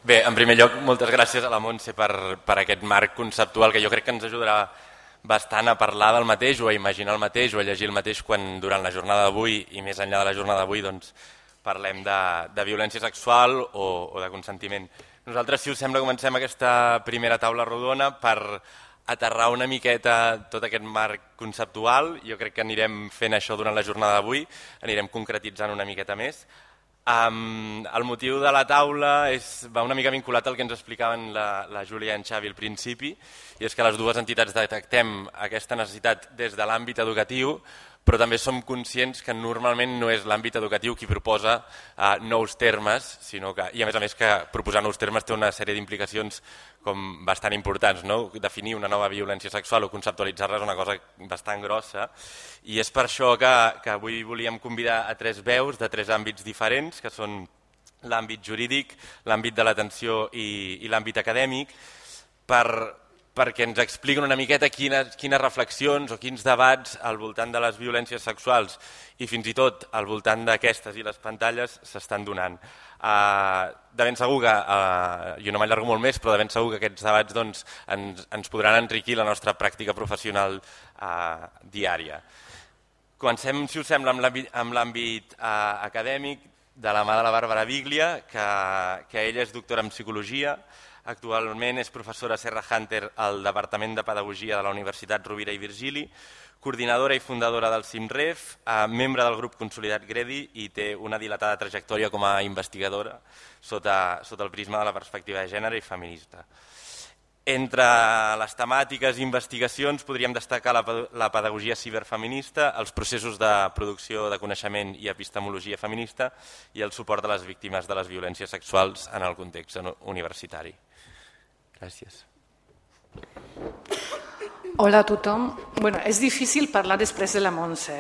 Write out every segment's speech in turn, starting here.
Bé, en primer lloc, moltes gràcies a la Montse per aquest marc conceptual que jo crec que ens ajudarà bastant a parlar del mateix o a imaginar el mateix o a llegir el mateix quan durant la jornada d'avui i més enllà de la jornada d'avui doncs, parlem de violència sexual o de consentiment. Nosaltres, si us sembla, comencem aquesta primera taula rodona per aterrar una miqueta tot aquest marc conceptual. Jo crec que anirem fent això durant la jornada d'avui, anirem concretitzant una miqueta més. El motiu de la taula va una mica vinculat al que ens explicaven la Júlia i en Xavi al principi, i és que les dues entitats detectem aquesta necessitat des de l'àmbit educatiu, però també som conscients que normalment no és l'àmbit educatiu qui proposa nous termes, sinó que, i a més que proposar nous termes té una sèrie d'implicacions com bastant importants, no? Definir una nova violència sexual o conceptualitzar-la és una cosa bastant grossa, i és per això que avui volíem convidar a tres veus de tres àmbits diferents, que són l'àmbit jurídic, l'àmbit de l'atenció i l'àmbit acadèmic, perquè ens expliquen una miqueta quines reflexions o quins debats al voltant de les violències sexuals i fins i tot al voltant d'aquestes i les pantalles s'estan donant. De ben segur que, jo no m'allargo molt més, però de ben segur que aquests debats doncs, ens podran enriquir la nostra pràctica professional diària. Comencem, si us sembla, amb l'àmbit acadèmic de la mà de la Bàrbara Biglia, que ella és doctora en Psicologia. Actualment és professora Serra Hunter al Departament de Pedagogia de la Universitat Rovira i Virgili, coordinadora i fundadora del CIMREF, membre del grup Consolidat Gredi i té una dilatada trajectòria com a investigadora sota el prisma de la perspectiva de gènere i feminista. Entre les temàtiques i investigacions podríem destacar la pedagogia ciberfeminista, els processos de producció de coneixement i epistemologia feminista i el suport a les víctimes de les violències sexuals en el context universitari. Gràcies. Hola a tothom. Bueno, és difícil parlar després de la Montse,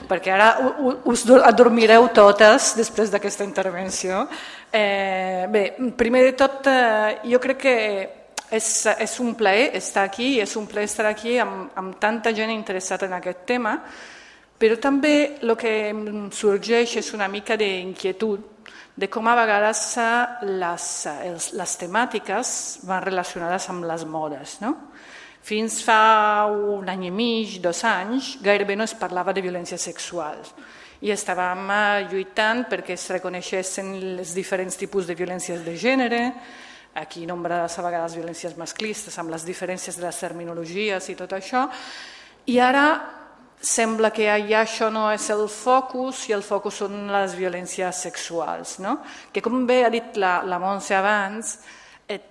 perquè ara us adormireu totes després d'aquesta intervenció. Bé, primer de tot, jo crec que és un plaer estar aquí i és un plaer estar aquí amb tanta gent interessada en aquest tema, però també el que em sorgeix és una mica d'inquietud de com a vegades les temàtiques van relacionades amb les modes. No? Fins fa un any i mig, 2 anys, gairebé no es parlava de violència sexual i estàvem lluitant perquè es reconeixessin els diferents tipus de violències de gènere, aquí nombrades a vegades violències masclistes, amb les diferències de les terminologies i tot això, i ara sembla que ja això no és el focus i el focus són les violències sexuals, no? Que com bé ha dit la Montse abans,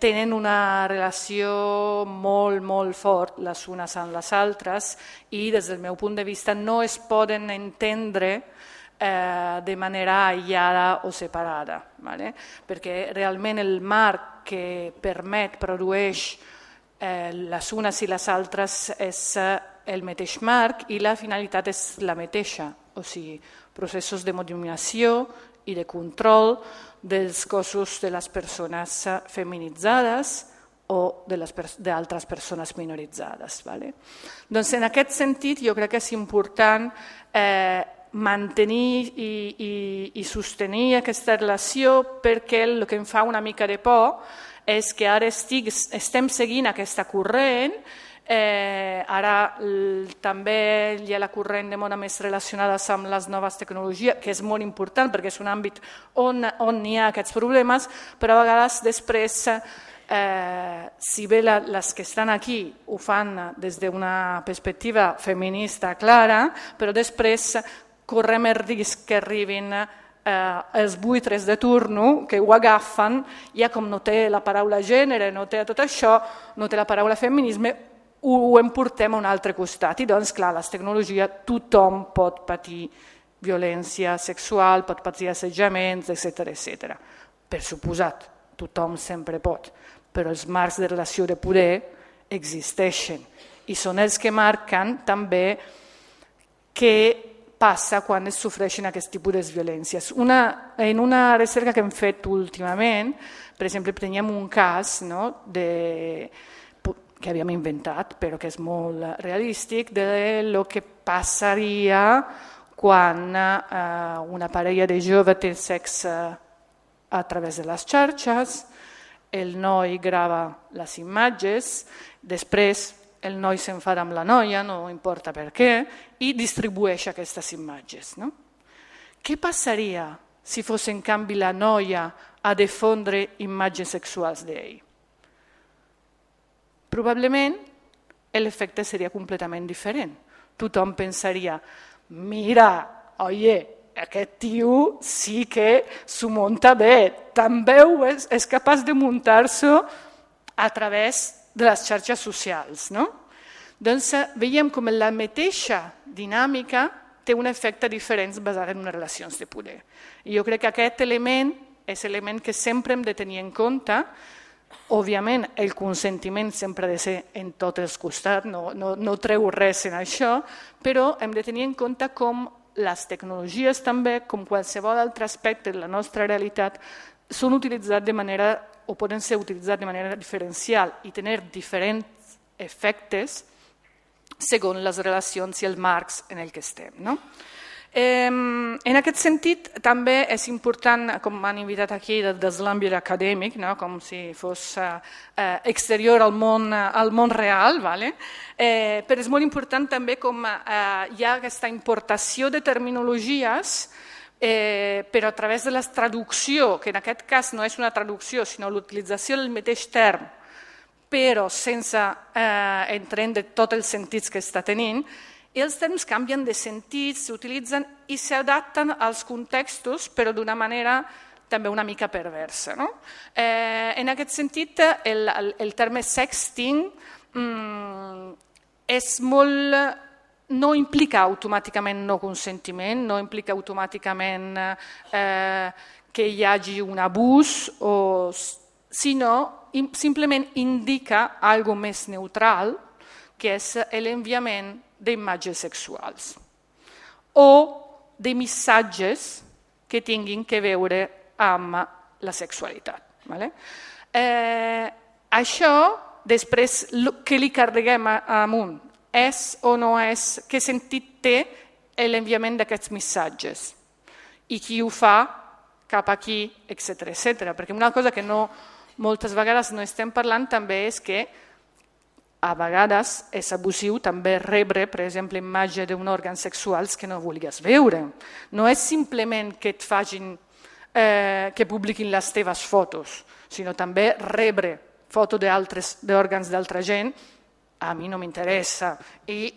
tenen una relació molt, molt fort les unes amb les altres i des del meu punt de vista no es poden entendre de manera aïllada o separada, ¿vale? Perquè realment el marc que produeix les unes i les altres és el mateix marc i la finalitat és la mateixa, o sigui, processos de dominació i de control dels cossos de les persones feminitzades o d'altres persones minoritzades. ¿Vale? Doncs en aquest sentit jo crec que és important mantenir i sostenir aquesta relació perquè el que em fa una mica de por és que ara estem seguint aquesta corrent. Ara també hi ha la corrent de moda més relacionada amb les noves tecnologies, que és molt important perquè és un àmbit on hi ha aquests problemes, però a vegades després, si bé les que estan aquí ho fan des d'una perspectiva feminista clara, però després correm el risc que arribin els buitres de turno que ho agafen, ja com no té la paraula gènere, no té tot això, no té la paraula feminisme, ho emportem a un altre costat. I doncs, clar, les tecnologies, tothom pot patir violència sexual, pot patir assetjaments, etc. Per suposat, tothom sempre pot, però els marcs de relació de poder existeixen i són els que marquen també què passa quan es sofreixen aquest tipus de violències. En una recerca que hem fet últimament, per exemple, teníem un cas que havíem inventat, però que és molt realístic, de lo que passaria quan una parella de jove té sexe a través de les xarxes, el noi grava les imatges, després el noi s'enfada amb la noia, no importa per què, i distribueix aquestes imatges. No? Què passaria si fos en canvi la noia a difondre imatges sexuals d'ell? Probablement l'efecte seria completament diferent. Tothom pensaria, mira, oye, aquest tio sí que s'ho munta bé, també és capaç de muntar-s'ho a través de les xarxes socials. No? Doncs veiem com la mateixa dinàmica té un efecte diferent basat en unes relacions de poder. I jo crec que aquest element és l'element que sempre hem de tenir en compte. Òbviament, el consentiment sempre ha de ser en tots els costats, no treu res en això, però hem de tenir en compte com les tecnologies també, com qualsevol altre aspecte de la nostra realitat, són utilitzats de manera, o poden ser utilitzats de manera diferencial i tenir diferents efectes segons les relacions i els marcs en el que estem. No? En aquest sentit, també és important, com m'han invitat aquí des de l'àmbit acadèmic, no? Com si fos exterior al món real, vale? Però és molt important també com hi ha aquesta importació de terminologies, però a través de la traducció, que en aquest cas no és una traducció, sinó l'utilització del mateix term, però sense entrar en tots els sentits que està tenint, i els termes canvien de sentit, s'utilitzen i s'adapten als contextos, però d'una manera també una mica perversa. No? En aquest sentit, el terme sexting és molt... no implica automàticament no consentiment, no implica automàticament que hi hagi un abús, sinó simplement indica algo més neutral, que és l'enviament d'imatges sexuals o de missatges que tinguin que veure amb la sexualitat. Vale? Això, després, què li carreguem amunt? És o no és? Què sentit té l'enviament d'aquests missatges? I qui ho fa cap aquí, etc. Perquè una cosa que moltes vegades no estem parlant també és que a vegades és abusiu també rebre, per exemple, imatge d'un òrgan sexuals que no vulguis veure. No és simplement que et facin, que publiquin les teves fotos, sinó també rebre fotos d'òrgans d'altra gent, a mi no m'interessa, i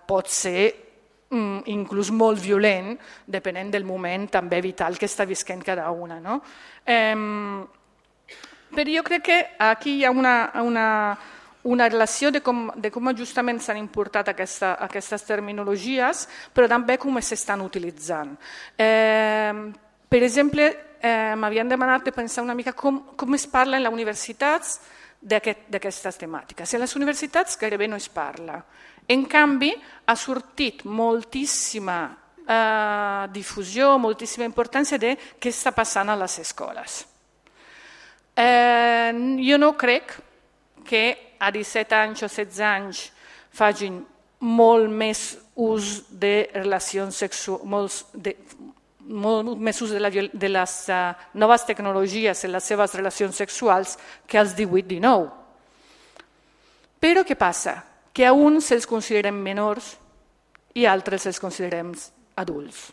pot ser inclús molt violent, depenent del moment també vital que està visquent cada una. No? Però jo crec que aquí hi ha una relació de com justament s'han importat aquestes terminologies, però també com s'estan utilitzant. Per exemple, m'havien demanat de pensar una mica com es parla en les universitats d'aquestes temàtiques. En les universitats gairebé no es parla. En canvi, ha sortit moltíssima difusió, moltíssima importància de què està passant a les escoles. Jo no crec que a 17 anys o 16 anys facin molt més ús de relacions sexuals, molt més ús de les noves tecnologies en les seves relacions sexuals que als 18-19. Però què passa? Que a uns se'ls consideren menors i a altres se'ls considerem adults.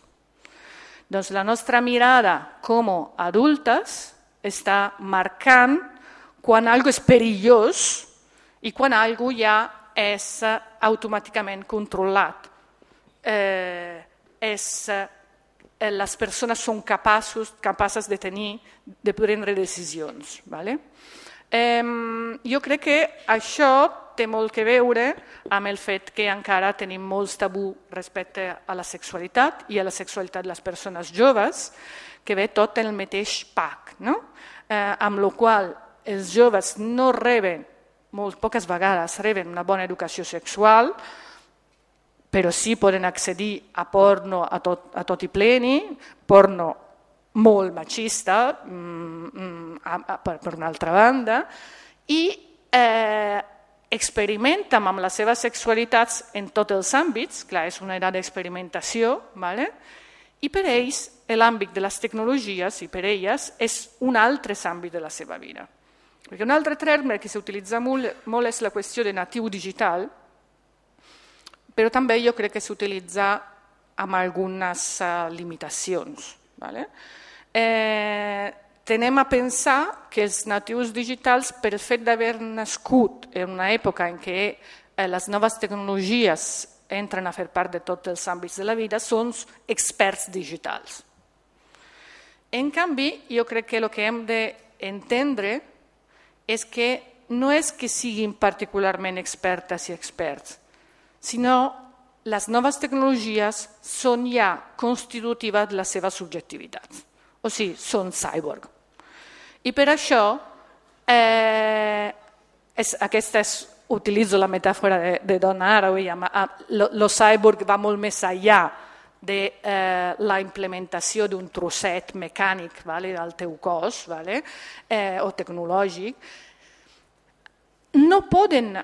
Doncs la nostra mirada com a adultes està marcant quan algo és perillós i quan algo ja és automàticament controlat. Les persones són capaces de prendre decisions. Vale? Jo crec que això té molt que veure amb el fet que encara tenim molts tabú respecte a la sexualitat i a la sexualitat de les persones joves, que ve tot en el mateix pack, no? Amb la qual els joves no reben, molt poques vegades reben una bona educació sexual, però sí poden accedir a porno a tot i pleni, porno molt machista, per una altra banda, i experimenten amb les seves sexualitats en tots els àmbits, clar, és una edat d'experimentació, i per ells l'àmbit de les tecnologies i per elles és un altre àmbit de la seva vida. Perquè un altre terme que s'utilitza molt és la qüestió de natiu digital, però també jo crec que s'utilitza amb algunes limitacions. Vale? Tenem a pensar que els natius digitals, per el fet d'haver nascut en una època en què les noves tecnologies entren a fer part de tots els àmbits de la vida, són experts digitals. En canvi, jo crec que el que hem d'entendre és que no és que siguin particularment expertes i experts, sinó les noves tecnologies són ja constitutives de la seva subjectivitat, o sigui, són cyborg. I per això, utilitzo la metàfora de Donna Haraway, el cyborg va molt més enllà de la implementació d'un trosset mecànic del teu cos o tecnològic. No poden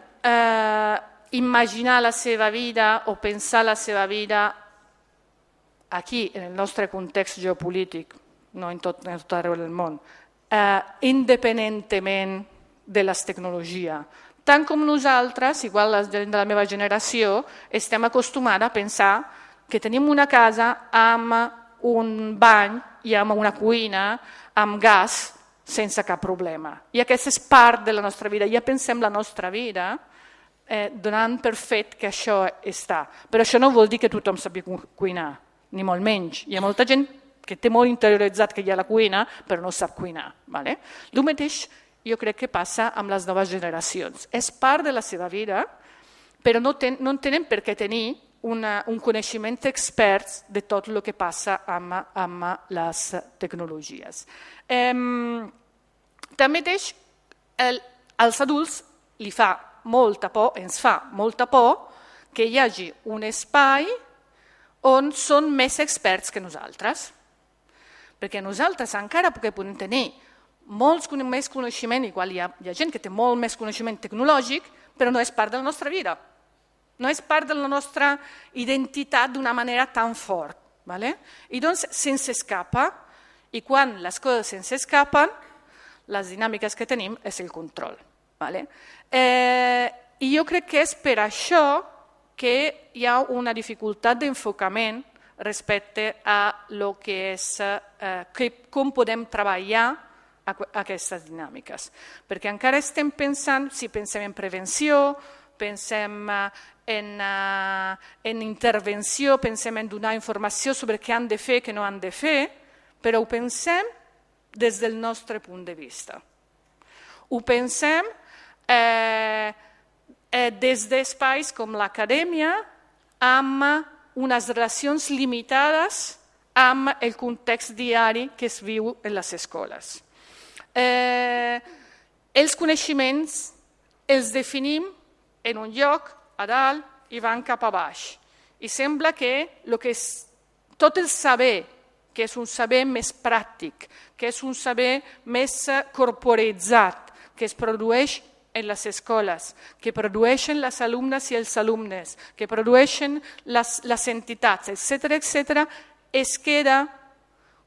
imaginar la seva vida o pensar la seva vida aquí, en el nostre context geopolític, no en tot arreu del món, independentment de les tecnologies. Tant com nosaltres, igual la gent de la meva generació, estem acostumats a pensar que tenim una casa amb un bany i amb una cuina, amb gas, sense cap problema. I aquesta és part de la nostra vida. Ja pensem la nostra vida donant per fet que això està. Però això no vol dir que tothom sàpiga cuinar, ni molt menys. Hi ha molta gent que té molt interioritzat que hi ha la cuina, però no sap cuinar. El mateix jo crec que passa amb les noves generacions. És part de la seva vida, però no tenen per què tenir un coneixement expert de tot el que passa amb les tecnologies. Tanmateix, als adults ens fa molta por que hi hagi un espai on són més experts que nosaltres. Perquè nosaltres encara podem tenir molt més coneixement, igual hi ha gent que té molt més coneixement tecnològic, però no és part de la nostra vida. No és part de la nostra identitat d'una manera tan fort. I doncs se'ns escapa, i quan les coses se'ns escapen, les dinàmiques que tenim és el control. I jo crec que és per això que hi ha una dificultat d'enfocament respecte a lo que és com podem treballar aquestes dinàmiques. Perquè encara estem pensant, si pensem en prevenció, pensem en intervenció, pensem en donar informació sobre què han de fer, què no han de fer, però ho pensem des del nostre punt de vista. Ho pensem des d'espais com l'acadèmia amb unes relacions limitades amb el context diari que es viu en les escoles. Els coneixements els definim en un lloc a dalt i van cap a baix. I sembla que tot el saber, que és un saber més pràctic, que és un saber més corporitzat, que es produeix en les escoles, que produeixen les alumnes i els alumnes, que produeixen les entitats, etc., es queda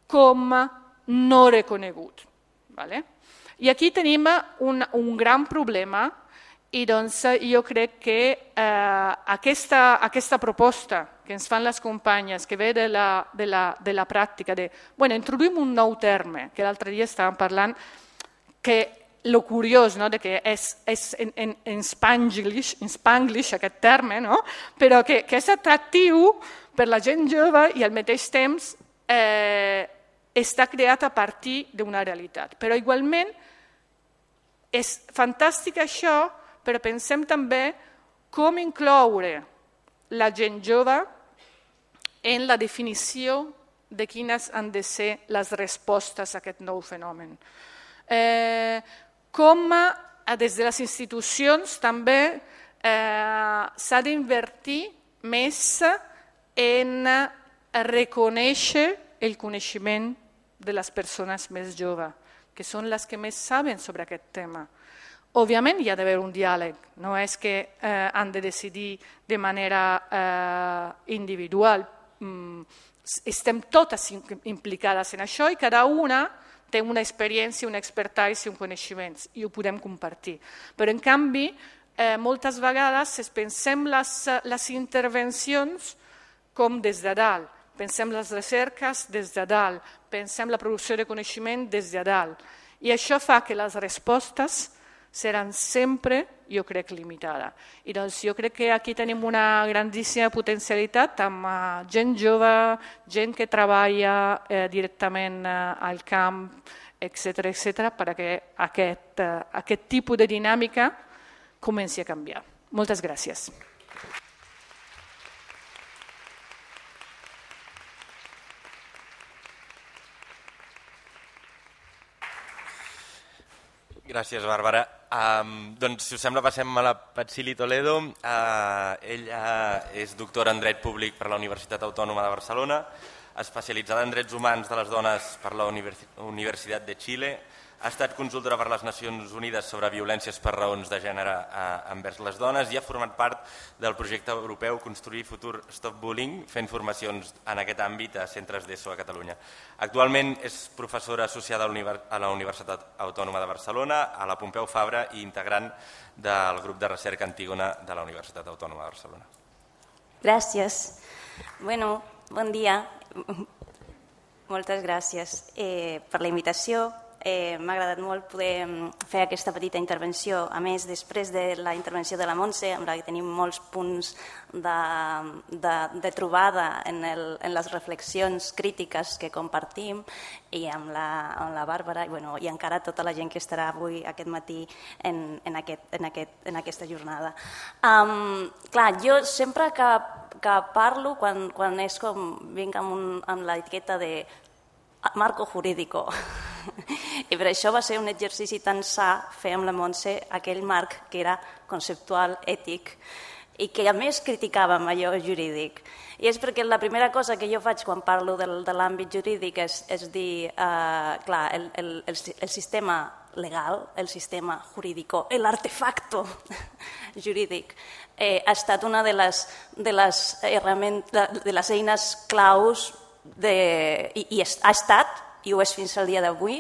com no reconegut. I aquí tenim un gran problema i doncs jo crec que aquesta proposta que ens fan les companyes, que ve de la pràctica, introduïm un nou terme, que l'altre dia estàvem parlant, que lo curiós que és en spanglish aquest terme, però que és atractiu per la gent jove i al mateix temps està creat a partir d'una realitat. Però igualment és fantàstic això, però pensem també com incloure la gent jove en la definició de quines han de ser les respostes a aquest nou fenomen. Com des de les institucions també s'ha d'invertir més en reconèixer el coneixement de les persones més joves, que són les que més saben sobre aquest tema. Òbviament hi ha d'haver un diàleg, no és que han de decidir de manera individual. Estem totes implicades en això i cada una té una experiència, una expertise i un coneixement, i ho podem compartir. Però, en canvi, moltes vegades pensem les intervencions com des de dalt, pensem les recerques des de dalt, pensem la producció de coneixement des de dalt. I això fa que les respostes seran sempre, jo crec, limitades. I doncs jo crec que aquí tenim una grandíssima potencialitat amb gent jove, gent que treballa directament al camp, etc., perquè aquest tipus de dinàmica comenci a canviar. Moltes gràcies. Gràcies, Bàrbara. Doncs, si us sembla, passem a la Patsili Toledo. Ella és doctora en Dret Públic per la Universitat Autònoma de Barcelona, especialitzada en drets humans de les dones per la Universitat de Xile. Ha estat consultora per les Nacions Unides sobre violències per raons de gènere envers les dones i ha format part del projecte europeu Construir Futur Stop Bullying, fent formacions en aquest àmbit a centres d'ESO a Catalunya. Actualment és professora associada a la Universitat Autònoma de Barcelona, a la Pompeu Fabra i integrant del grup de recerca Antígona de la Universitat Autònoma de Barcelona. Gràcies. Bueno, bon dia. Moltes gràcies per la invitació. M'ha agradat molt poder fer aquesta petita intervenció. A més, després de la intervenció de la Montse, amb la que tenim molts punts de trobada en les reflexions crítiques que compartim, i amb la Bàrbara i encara tota la gent que estarà avui aquest matí en aquesta jornada. Clar, jo sempre que parlo, quan és com vinc amb l'etiqueta de marco jurídico, i per això va ser un exercici tan sa fer amb la Montse aquell marc que era conceptual, ètic, i que a més criticàvem allò jurídic. I és perquè la primera cosa que jo faig quan parlo de l'àmbit jurídic és dir, clar, el sistema legal, el sistema jurídico, l'artefacto jurídic, ha estat una de les eines claus i ha estat, i ho és fins al dia d'avui,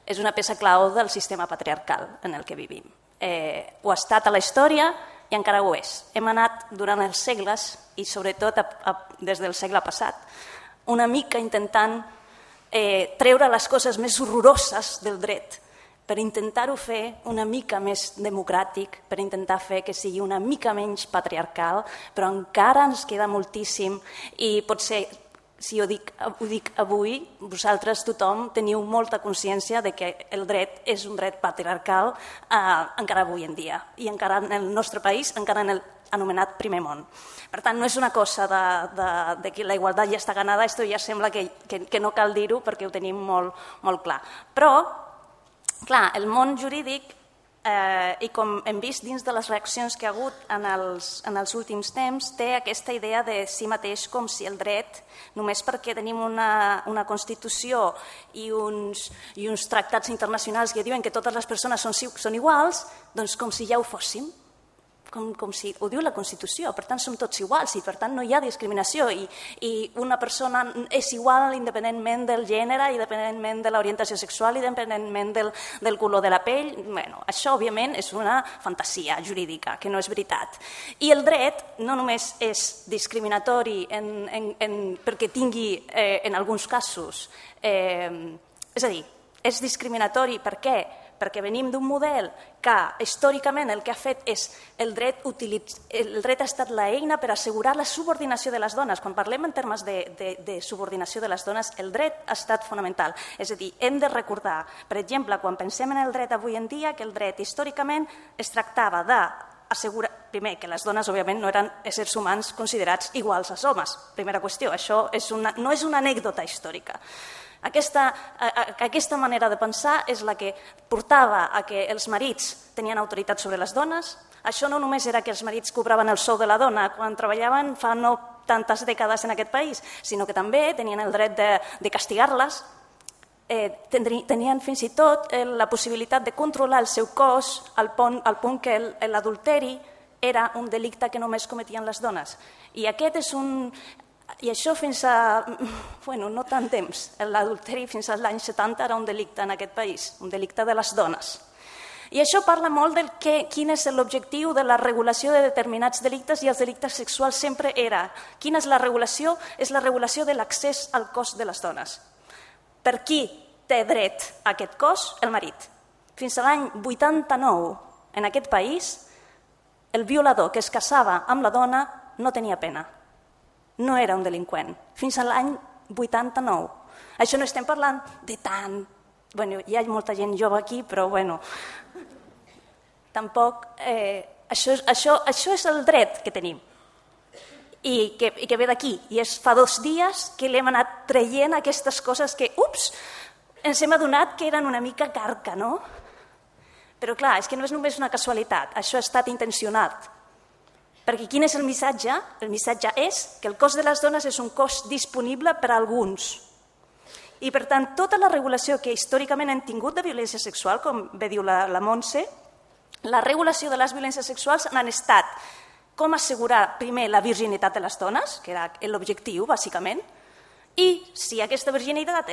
és una peça clau del sistema patriarcal en el que vivim. Ho ha estat a la història i encara ho és. Hem anat durant els segles, i sobretot des del segle passat, una mica intentant treure les coses més horroroses del dret per intentar-ho fer una mica més democràtic, per intentar fer que sigui una mica menys patriarcal, però encara ens queda moltíssim i potser, si ho dic avui, vosaltres tothom teniu molta consciència de que el dret és un dret patriarcal encara avui en dia i encara en el nostre país, encara en l'anomenat primer món. Per tant, no és una cosa de que la igualtat ja està ganada, esto ja sembla que no cal dir-ho perquè ho tenim molt clar. Però, clar, el món jurídic, i com hem vist dins de les reaccions que ha hagut en els últims temps, té aquesta idea de si mateix com si el dret, només perquè tenim una Constitució i uns tractats internacionals que diuen que totes les persones són iguals, doncs com si ja ho fóssim. Com si ho diu la Constitució, per tant som tots iguals i per tant no hi ha discriminació i una persona és igual independentment del gènere, independentment de l'orientació sexual, independentment del color de la pell. Això òbviament és una fantasia jurídica, que no és veritat. I el dret no només és discriminatori perquè tingui en alguns casos, és a dir, és discriminatori per què? Perquè venim d'un model que històricament el que ha fet és el dret ha estat l'eina per assegurar la subordinació de les dones. Quan parlem en termes de subordinació de les dones, el dret ha estat fonamental. És a dir, hem de recordar, per exemple, quan pensem en el dret avui en dia, que el dret històricament es tractava d'assegurar, primer, que les dones òbviament no eren éssers humans considerats iguals als homes. Primera qüestió, això no és una anècdota històrica. Aquesta manera de pensar és la que portava a que els marits tenien autoritat sobre les dones. Això no només era que els marits cobraven el sou de la dona quan treballaven fa no tantes dècades en aquest país, sinó que també tenien el dret de castigar-les, tenien fins i tot la possibilitat de controlar el seu cos al punt que l'adulteri era un delicte que només cometien les dones. I aquest és I això fins a... Bueno, no tant temps. L'adulteri fins als anys 70 era un delicte en aquest país, un delicte de les dones. I això parla molt del quin és l'objectiu de la regulació de determinats delictes, i els delictes sexuals sempre era. Quina és la regulació? És la regulació de l'accés al cos de les dones. Per qui té dret a aquest cos? El marit. Fins a l'any 89, en aquest país, el violador que es casava amb la dona no tenia pena. No era un delinqüent. Fins a l'any 89. Això no estem parlant de tant... Bueno, hi ha molta gent jove aquí, però bueno... Tampoc... Això és el dret que tenim. I que ve d'aquí. I fa 2 dies que l'hem anat traient aquestes coses que, ens hem adonat que eren una mica carca, no? Però clar, és que no és només una casualitat, això ha estat intencionat. Perquè quin és el missatge? El missatge és que el cos de les dones és un cos disponible per a alguns. I per tant, tota la regulació que històricament hem tingut de violència sexual, com bé diu la Montse, la regulació de les violències sexuals han estat com assegurar primer la virginitat de les dones, que era l'objectiu, bàsicament, i si aquesta virginitat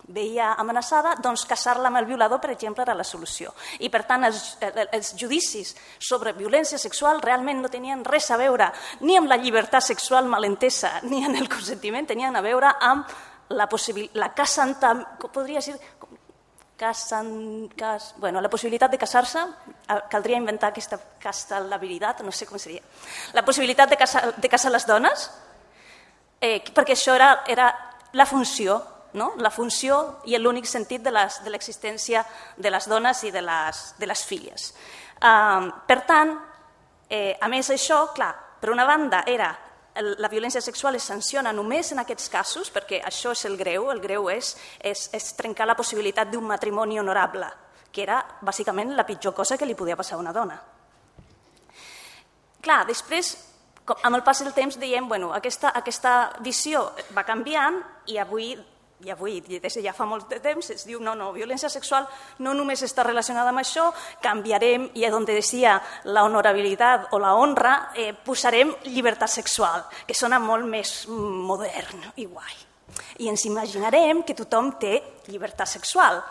veia amenaçada, doncs casar-la amb el violador, per exemple, era la solució. I per tant, els judicis sobre violència sexual realment no tenien res a veure ni amb la llibertat sexual malentesa ni amb el consentiment, tenien a veure amb la possibilitat de casar-se, caldria inventar aquesta castalabilitat, no sé com seria, la possibilitat de casar les dones, perquè això era la funció, no? La funció i l'únic sentit de l'existència de les dones i de les filles. Per tant, a més això, clar, per una banda la violència sexual es sanciona només en aquests casos, perquè això és el greu és trencar la possibilitat d'un matrimoni honorable, que era bàsicament la pitjor cosa que li podia passar a una dona. Clar, després, amb el pas del temps, dèiem, bueno, aquesta visió va canviant i avui, des de ja fa molt de temps, es diu, no, violència sexual no només està relacionada amb això, canviarem, i on decía la honorabilitat o la honra, posarem llibertat sexual, que sona molt més modern i guai. I ens imaginarem que tothom té llibertat sexual.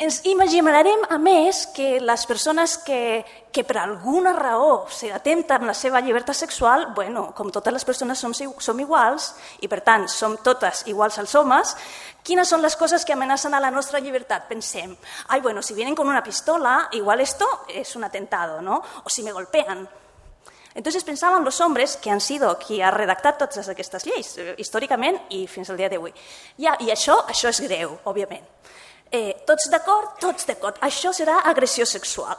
Ens imaginarem, a més, que les persones que per alguna raó s'atempten amb la seva llibertat sexual, bueno, com totes les persones som iguals, i per tant som totes iguals als homes, quines són les coses que amenacen a la nostra llibertat? Pensem, bueno, si vienen con una pistola, igual esto es un atentado, ¿no? O si me golpean. Entonces pensaban los hombres, que han sido qui ha redactat totes aquestes lleis, històricament i fins al dia d'avui. I això és greu, òbviament. Tots d'acord? Tots d'acord. Això serà agressió sexual.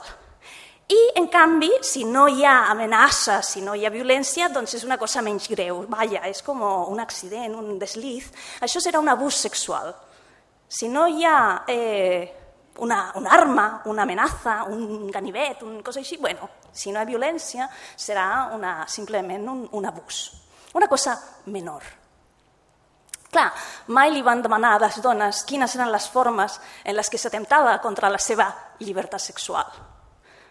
I, en canvi, si no hi ha amenaça, si no hi ha violència, doncs és una cosa menys greu. Vaja, és com un accident, un desliz. Això serà un abús sexual. Si no hi ha una arma, una amenaça, un ganivet, una cosa així, bueno, si no hi ha violència, serà simplement un abús. Una cosa menor. Clar, mai li van demanar a les dones quines eren les formes en les que s'atemptava contra la seva llibertat sexual.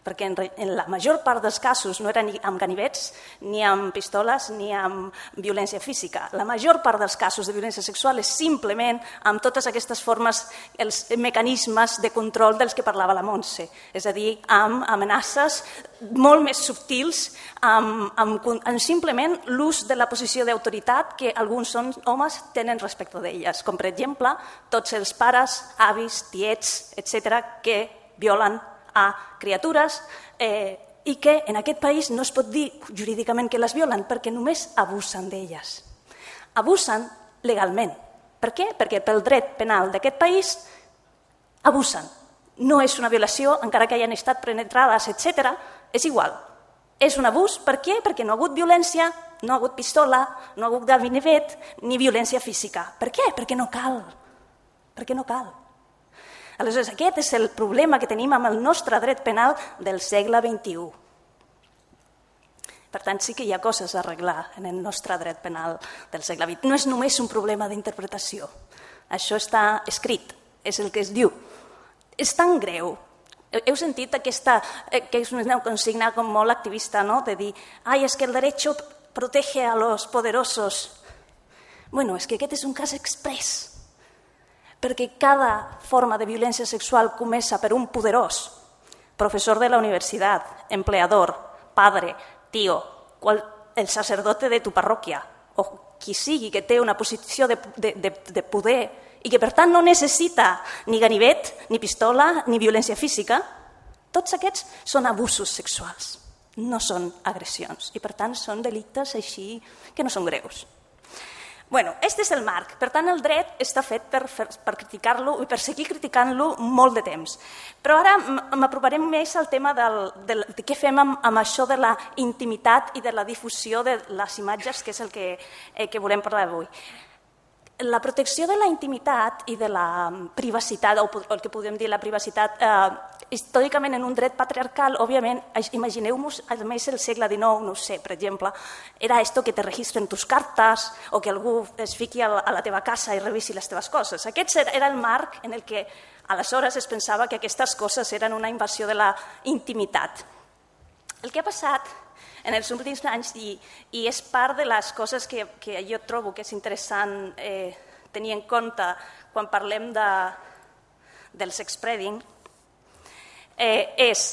Perquè en la major part dels casos no era ni amb ganivets, ni amb pistoles, ni amb violència física. La major part dels casos de violència sexual és simplement amb totes aquestes formes, els mecanismes de control dels que parlava la Montse. És a dir, amb amenaces molt més subtils, amb simplement l'ús de la posició d'autoritat que alguns homes tenen respecte d'elles. Com, per exemple, tots els pares, avis, tiets, etc., que violen a criatures i que en aquest país no es pot dir jurídicament que les violen perquè només abusen d'elles. Abusen legalment. Per què? Perquè pel dret penal d'aquest país abusen. No és una violació, encara que hayan estat penetrades, etc. És igual. És un abús. Per què? Perquè no ha hagut violència, no ha hagut pistola, no ha hagut ganivet ni violència física. Per què? Perquè no cal. Perquè no cal. Aleshores, aquest és el problema que tenim amb el nostre dret penal del segle XXI. Per tant, sí que hi ha coses a arreglar en el nostre dret penal del segle XX. No és només un problema d'interpretació. Això està escrit, és el que es diu. És tan greu. Heu sentit aquesta, que és una consigna com molt activista, no? De dir, es que el derecho protege a los poderosos. Bueno, és que aquest és un cas express, perquè cada forma de violència sexual comença per un poderós, professor de la universitat, empleador, padre, tío, el sacerdote de tu parròquia, o qui sigui que té una posició de poder i que per tant no necessita ni ganivet, ni pistola, ni violència física, tots aquests són abusos sexuals, no són agressions i per tant són delictes així que no són greus. Bueno, aquest és el marc, per tant el dret està fet per criticar-lo i per seguir criticant-lo molt de temps. Però ara m'aproparem més al tema de què fem amb això de la intimitat i de la difusió de les imatges, que és el que volem parlar avui. La protecció de la intimitat i de la privacitat, o el que podem dir la privacitat, històricament en un dret patriarcal, òbviament, imagineu-vos almenys el segle XIX, no sé, per exemple, era esto que te registren tus cartes o que algú es fiqui a la teva casa i revisi les teves coses. Aquest era el marc en el que aleshores es pensava que aquestes coses eren una invasió de la intimitat. El que ha passat en els últims anys, i és part de les coses que jo trobo que és interessant tenir en compte quan parlem del sexspreading, és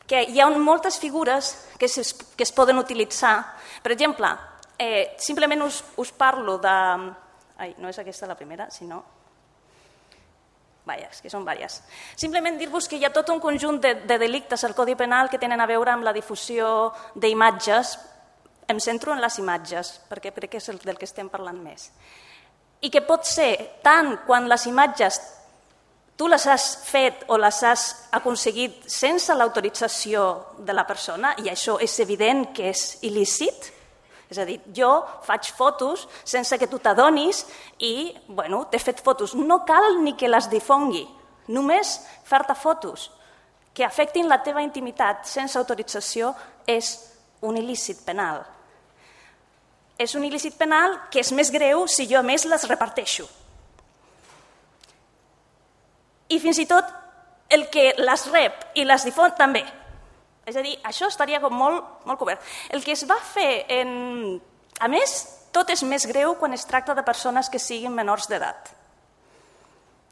que hi ha moltes figures que es poden utilitzar. Per exemple, simplement us parlo de... Ai, no és aquesta la primera, sinó... Vaja, és que són diverses. Simplement dir-vos que hi ha tot un conjunt de delictes al Codi Penal que tenen a veure amb la difusió d'imatges. Em centro en les imatges, perquè crec que és del que estem parlant més. I que pot ser tant quan les imatges tu les has fet o les has aconseguit sense l'autorització de la persona, i això és evident que és il·lícit. És a dir, jo faig fotos sense que tu t'adonis i, bueno, t'he fet fotos. No cal ni que les difongui, només fer-te fotos que afectin la teva intimitat sense autorització és un il·lícit penal. És un il·lícit penal que és més greu si jo a més les reparteixo. I fins i tot el que les rep i les difon també. És a dir, això estaria com molt cobert. El que es va fer, a més, tot és més greu quan es tracta de persones que siguin menors d'edat,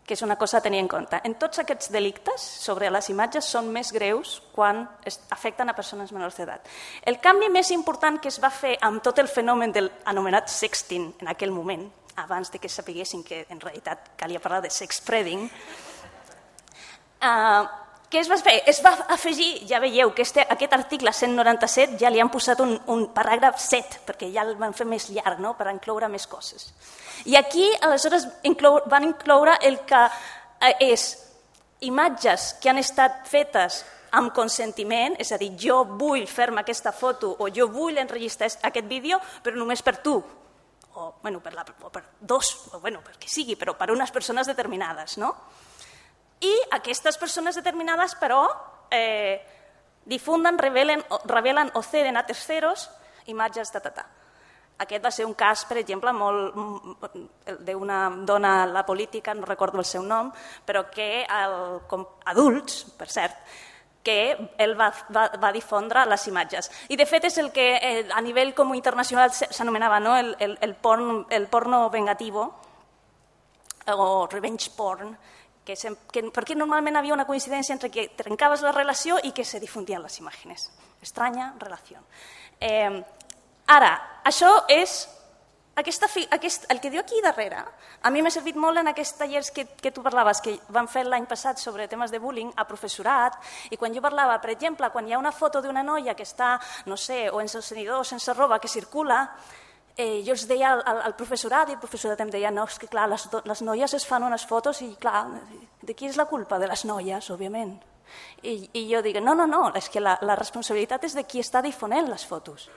que és una cosa a tenir en compte. En tots aquests delictes sobre les imatges són més greus quan afecten a persones menors d'edat. El canvi més important que es va fer amb tot el fenomen del anomenat sexting en aquell moment, abans de que sapiguessin que en realitat calia parlar de sexspreading, què es va fer? Es va afegir, ja veieu, que aquest article 197 ja li han posat un paràgraf 7, perquè ja el van fer més llarg, no?, per incloure més coses. I aquí, aleshores, van incloure el que és imatges que han estat fetes amb consentiment, és a dir, jo vull fer-me aquesta foto o jo vull enregistrar aquest vídeo, però només per tu, o per dos, o per què sigui, però per unes persones determinades, no? I aquestes persones determinades, però, difunden, revelen o ceden a terceros imatges de tata. Aquest va ser un cas, per exemple, d'una dona a la política, no recordo el seu nom, però que adults, per cert, que ell va difondre les imatges. I de fet és el que a nivell com internacional s'anomenava el porno vengativo o revenge porn, perquè normalment havia una coincidència entre que trencaves la relació i que se difundien les imatges. Estranya relació. Ara, això és... El que diu aquí darrere, a mi m'ha servit molt en aquests tallers que tu parlaves, que van fer l'any passat sobre temes de bullying a professorat, i quan jo parlava, per exemple, quan hi ha una foto d'una noia que està, no sé, o en sostenidor o sense roba, que circula, jo els deia al professorat, i el professorat em deia, no, és que clar, les noies es fan unes fotos i clar, de qui és la culpa? De les noies, òbviament. I jo dic, no, és que la responsabilitat és de qui està difonent les fotos.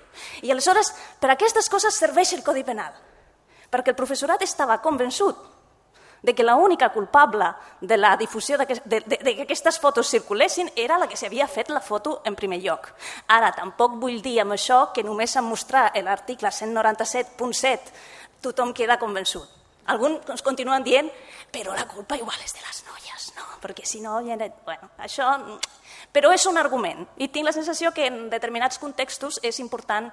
I aleshores, per aquestes coses serveix el Codi Penal, perquè el professorat estava convençut de que l'única culpable de la difusió de que aquestes fotos circulessin era la que s'havia fet la foto en primer lloc. Ara, tampoc vull dir amb això que només en mostrar l'article 197.7 tothom queda convençut. Alguns continuen dient, però la culpa igual és de les noies, no? Perquè si no... Bueno, això... Però és un argument i tinc la sensació que en determinats contextos és important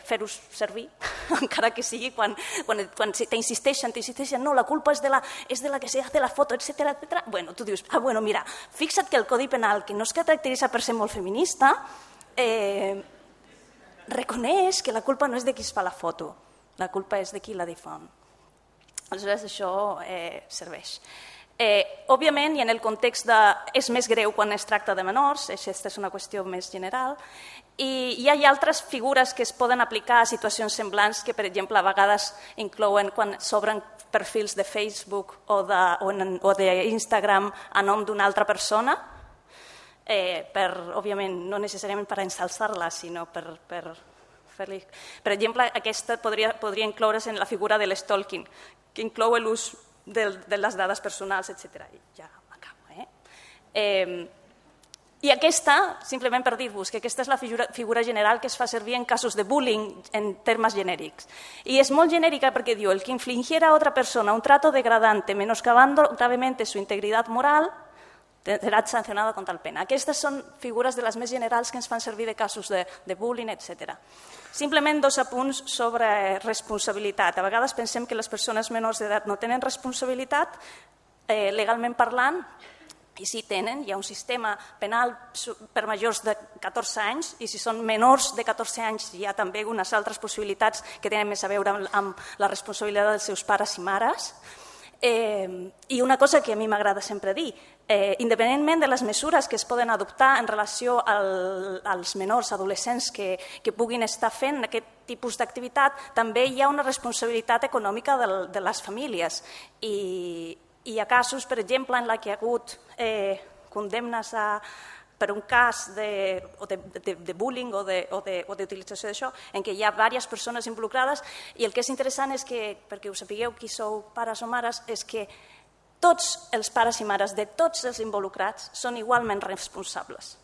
fer-ho servir, encara que sigui quan t'insisteixen, no, la culpa és de la que se hace la foto, etcètera. Bueno, tu dius, bueno, mira, fixa't que el Codi Penal, que no es caracteritza per ser molt feminista, reconeix que la culpa no és de qui es fa la foto, la culpa és de qui la difon. Aleshores, això serveix. Òbviament, i en el context és més greu quan es tracta de menors, aquesta és una qüestió més general, i hi ha altres figures que es poden aplicar a situacions semblants que, per exemple, a vegades inclouen quan s'obren perfils de Facebook o d'Instagram a nom d'una altra persona, òbviament, no necessàriament per ensalçar-la, sinó per fer-li... Per exemple, aquesta podria incloure's en la figura de l'stalking, que inclou l'ús de les dades personals, etc. Ja acabo. I aquesta, simplement per dir-vos que aquesta és la figura general que es fa servir en casos de bullying en termes genèrics. I és molt genèrica perquè diu el que infligiera a otra persona un trato degradante menoscabando gravemente su integridad moral serà sancionado con tal pena. Aquestes són figures de les més generals que ens fan servir de casos de bullying, etc. Simplement 2 apunts sobre responsabilitat. A vegades pensem que les persones menors d'edat no tenen responsabilitat, legalment parlant, i sí tenen, hi ha un sistema penal per majors de 14 anys i si són menors de 14 anys hi ha també unes altres possibilitats que tenen més a veure amb la responsabilitat dels seus pares i mares. I una cosa que a mi m'agrada sempre dir, independentment de les mesures que es poden adoptar en relació als menors adolescents que puguin estar fent aquest tipus d'activitat, també hi ha una responsabilitat econòmica de les famílies. I hi ha casos, per exemple, en què hi ha hagut condemnes per un cas de bullying o d'utilització d'això, en què hi ha diverses persones involucrades i el que és interessant és que, perquè ho sapigueu qui sou pares o mares, és que tots els pares i mares de tots els involucrats són igualment responsables.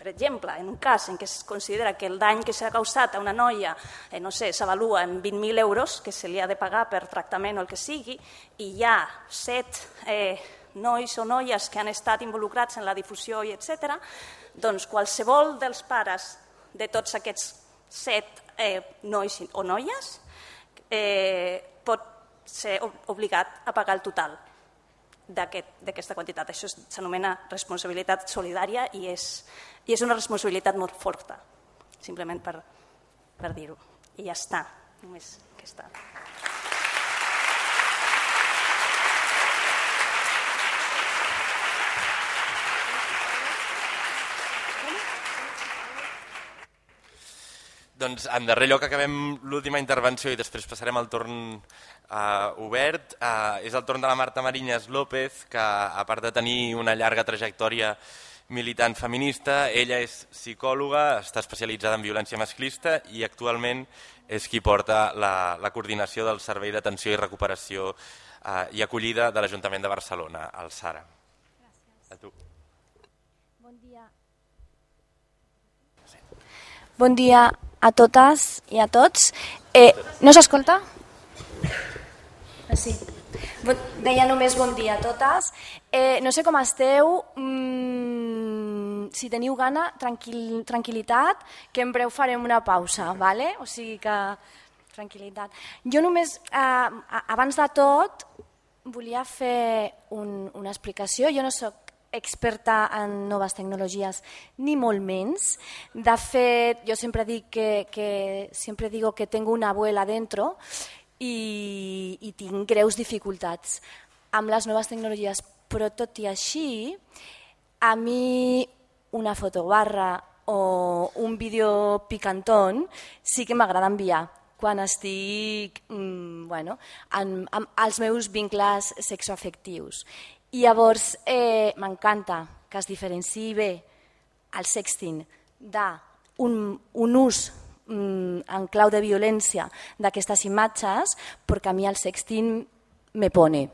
Per exemple, en un cas en què es considera que el dany que s'ha causat a una noia s'avalua en 20.000 euros que se li ha de pagar per tractament o el que sigui, i hi ha 7 nois o noies que han estat involucrats en la difusió i etc., doncs qualsevol dels pares de tots aquests 7 nois o noies pot ser obligat a pagar el total d'aquesta quantitat. Això s'anomena responsabilitat solidària i és una responsabilitat molt forta, simplement per dir-ho. I ja està, només aquesta. Doncs en darrer lloc acabem l'última intervenció i després passarem al torn obert. És el torn de la Marta Mariñas López, que a part de tenir una llarga trajectòria militant feminista, ella és psicòloga, està especialitzada en violència masclista i actualment és qui porta la coordinació del Servei d'Atenció i Recuperació i Acollida de l'Ajuntament de Barcelona, el SARA. A tu. Bon dia. Bon dia a totes i a tots. No s'escolta? Sí. Deia només bon dia a totes. No sé com esteu, si teniu gana, tranquil·litat, que en breu farem una pausa, ¿vale? O sigui que tranquil·litat. Jo només, abans de tot, volia fer una explicació. Jo no soc experta en noves tecnologies, ni molt menys. De fet, jo sempre dic siempre digo que tengo una abuela dentro i tinc greus dificultats amb les noves tecnologies, però tot i així, a mi una fotobarra o un vídeo picantón sí que m'agrada enviar quan estic amb els meus vincles sexoafectius. I llavors m'encanta que es diferenciï bé el sexting d'un ús en clau de violència d'aquestes imatges, perquè a mi el sexting me pone.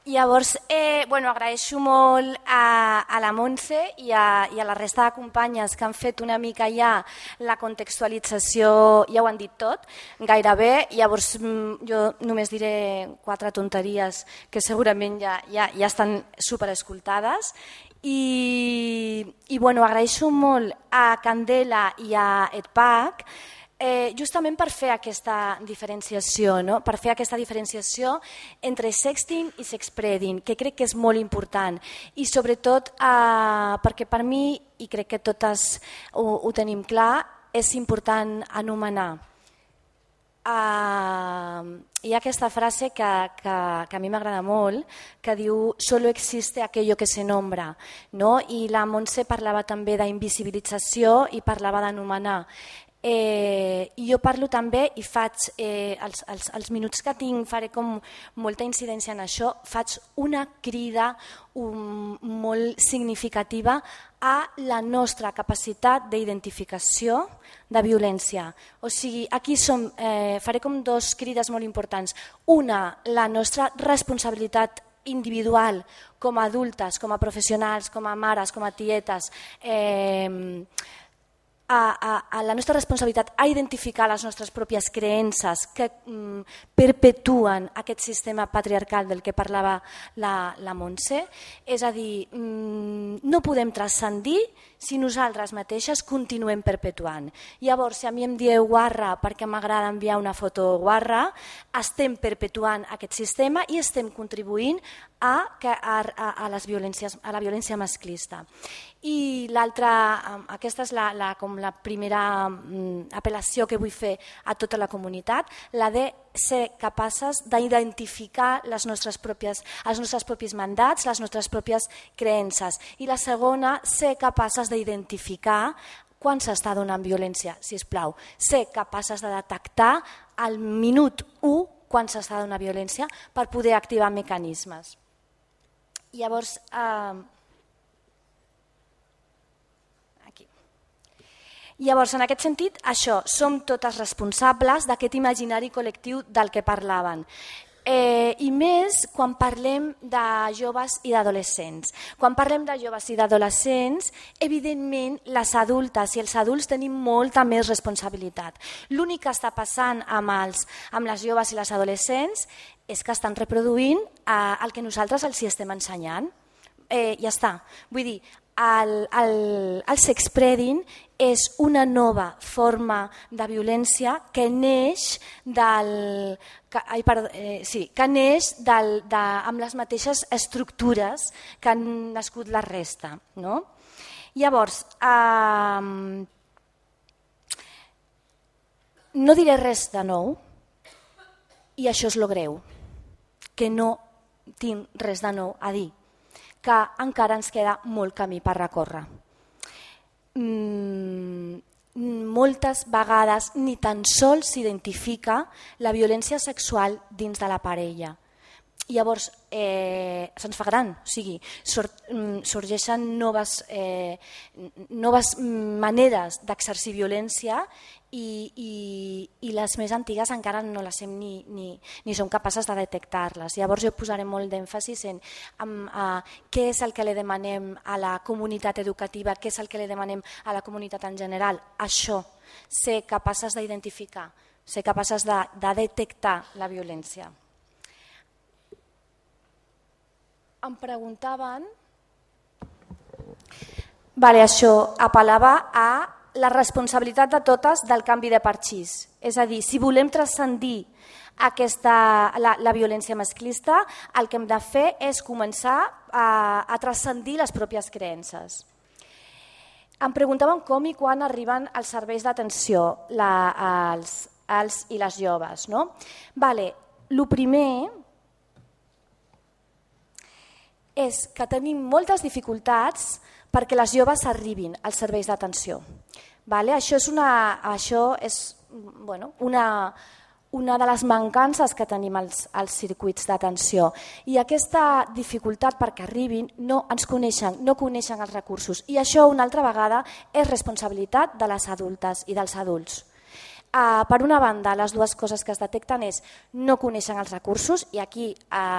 Llavors, agraeixo molt a la Montse i a la resta de companyes que han fet una mica ja la contextualització, ja ho han dit tot, gairebé. Llavors, jo només diré 4 tonteries que segurament ja estan superescoltades. I agraeixo molt a Candela i a EDPAC justament per fer aquesta diferenciació, no? Per fer aquesta diferenciació entre sexting i sexpreading, que crec que és molt important, i sobretot perquè per mi, i crec que totes ho tenim clar, és important anomenar. Hi ha aquesta frase que a mi m'agrada molt, que diu «solo existe aquello que se nombra», no? I la Montse parlava també d'invisibilització i parlava d'anomenar. Jo parlo també i faig, els minuts que tinc faré com molta incidència en això, faig una crida molt significativa a la nostra capacitat d'identificació de violència. O sigui, aquí faré com 2 crides molt importants. Una, la nostra responsabilitat individual com a adultes, com a professionals, com a mares, com a tietes, a la nostra responsabilitat a identificar les nostres pròpies creences que perpetuen aquest sistema patriarcal del que parlava la Montse. És a dir, no podem transcendir si nosaltres mateixes continuem perpetuant. Llavors, si a mi em dieu guarra perquè m'agrada enviar una foto guarra, estem perpetuant aquest sistema i estem contribuint a la violència masclista. I l'altra, aquesta és com la primera apel·lació que vull fer a tota la comunitat, la de ser capaces d'identificar els nostres propis mandats, les nostres pròpies creences. I la segona, ser capaces d'identificar quan s'està donant violència, sisplau. Ser capaces de detectar al minut 1 quan s'està donant violència per poder activar mecanismes. Llavors, en aquest sentit, això, som totes responsables d'aquest imaginari col·lectiu del que parlaven. I més quan parlem de joves i d'adolescents. Quan parlem de joves i d'adolescents, evidentment les adultes i els adults tenim molta més responsabilitat. L'únic que està passant amb les joves i les adolescents és que estan reproduint el que nosaltres els estem ensenyant. Ja està. Vull dir, el sexpreading és una nova forma de violència que neix amb les mateixes estructures que han nascut la resta. Llavors, no diré res de nou, i això és lo greu, que no tinc res de nou a dir, que encara ens queda molt camí per recórrer. Moltes vegades ni tan sols s'identifica la violència sexual dins de la parella. Llavors, se'ns fa gran, o sigui, sorgeixen noves maneres d'exercir violència i les més antigues encara no les hem ni som capaces de detectar-les. Llavors jo posaré molt d'èmfasis en què és el que li demanem a la comunitat educativa, què és el que li demanem a la comunitat en general. Això, ser capaces d'identificar, ser capaces de detectar la violència. Em preguntaven... Això apel·lava a la responsabilitat de totes del canvi de parxís. És a dir, si volem transcendir la violència masclista, el que hem de fer és començar a transcendir les pròpies creences. Em preguntaven com i quan arriben els serveis d'atenció als i les joves. El primer és que tenim moltes dificultats perquè les joves arribin als serveis d'atenció. Això és una de les mancances que tenim als circuits d'atenció. I aquesta dificultat perquè arribin no coneixen els recursos. I això, una altra vegada, és responsabilitat de les adultes i dels adults. Per una banda, les dues coses que es detecten és no coneixen els recursos, i aquí,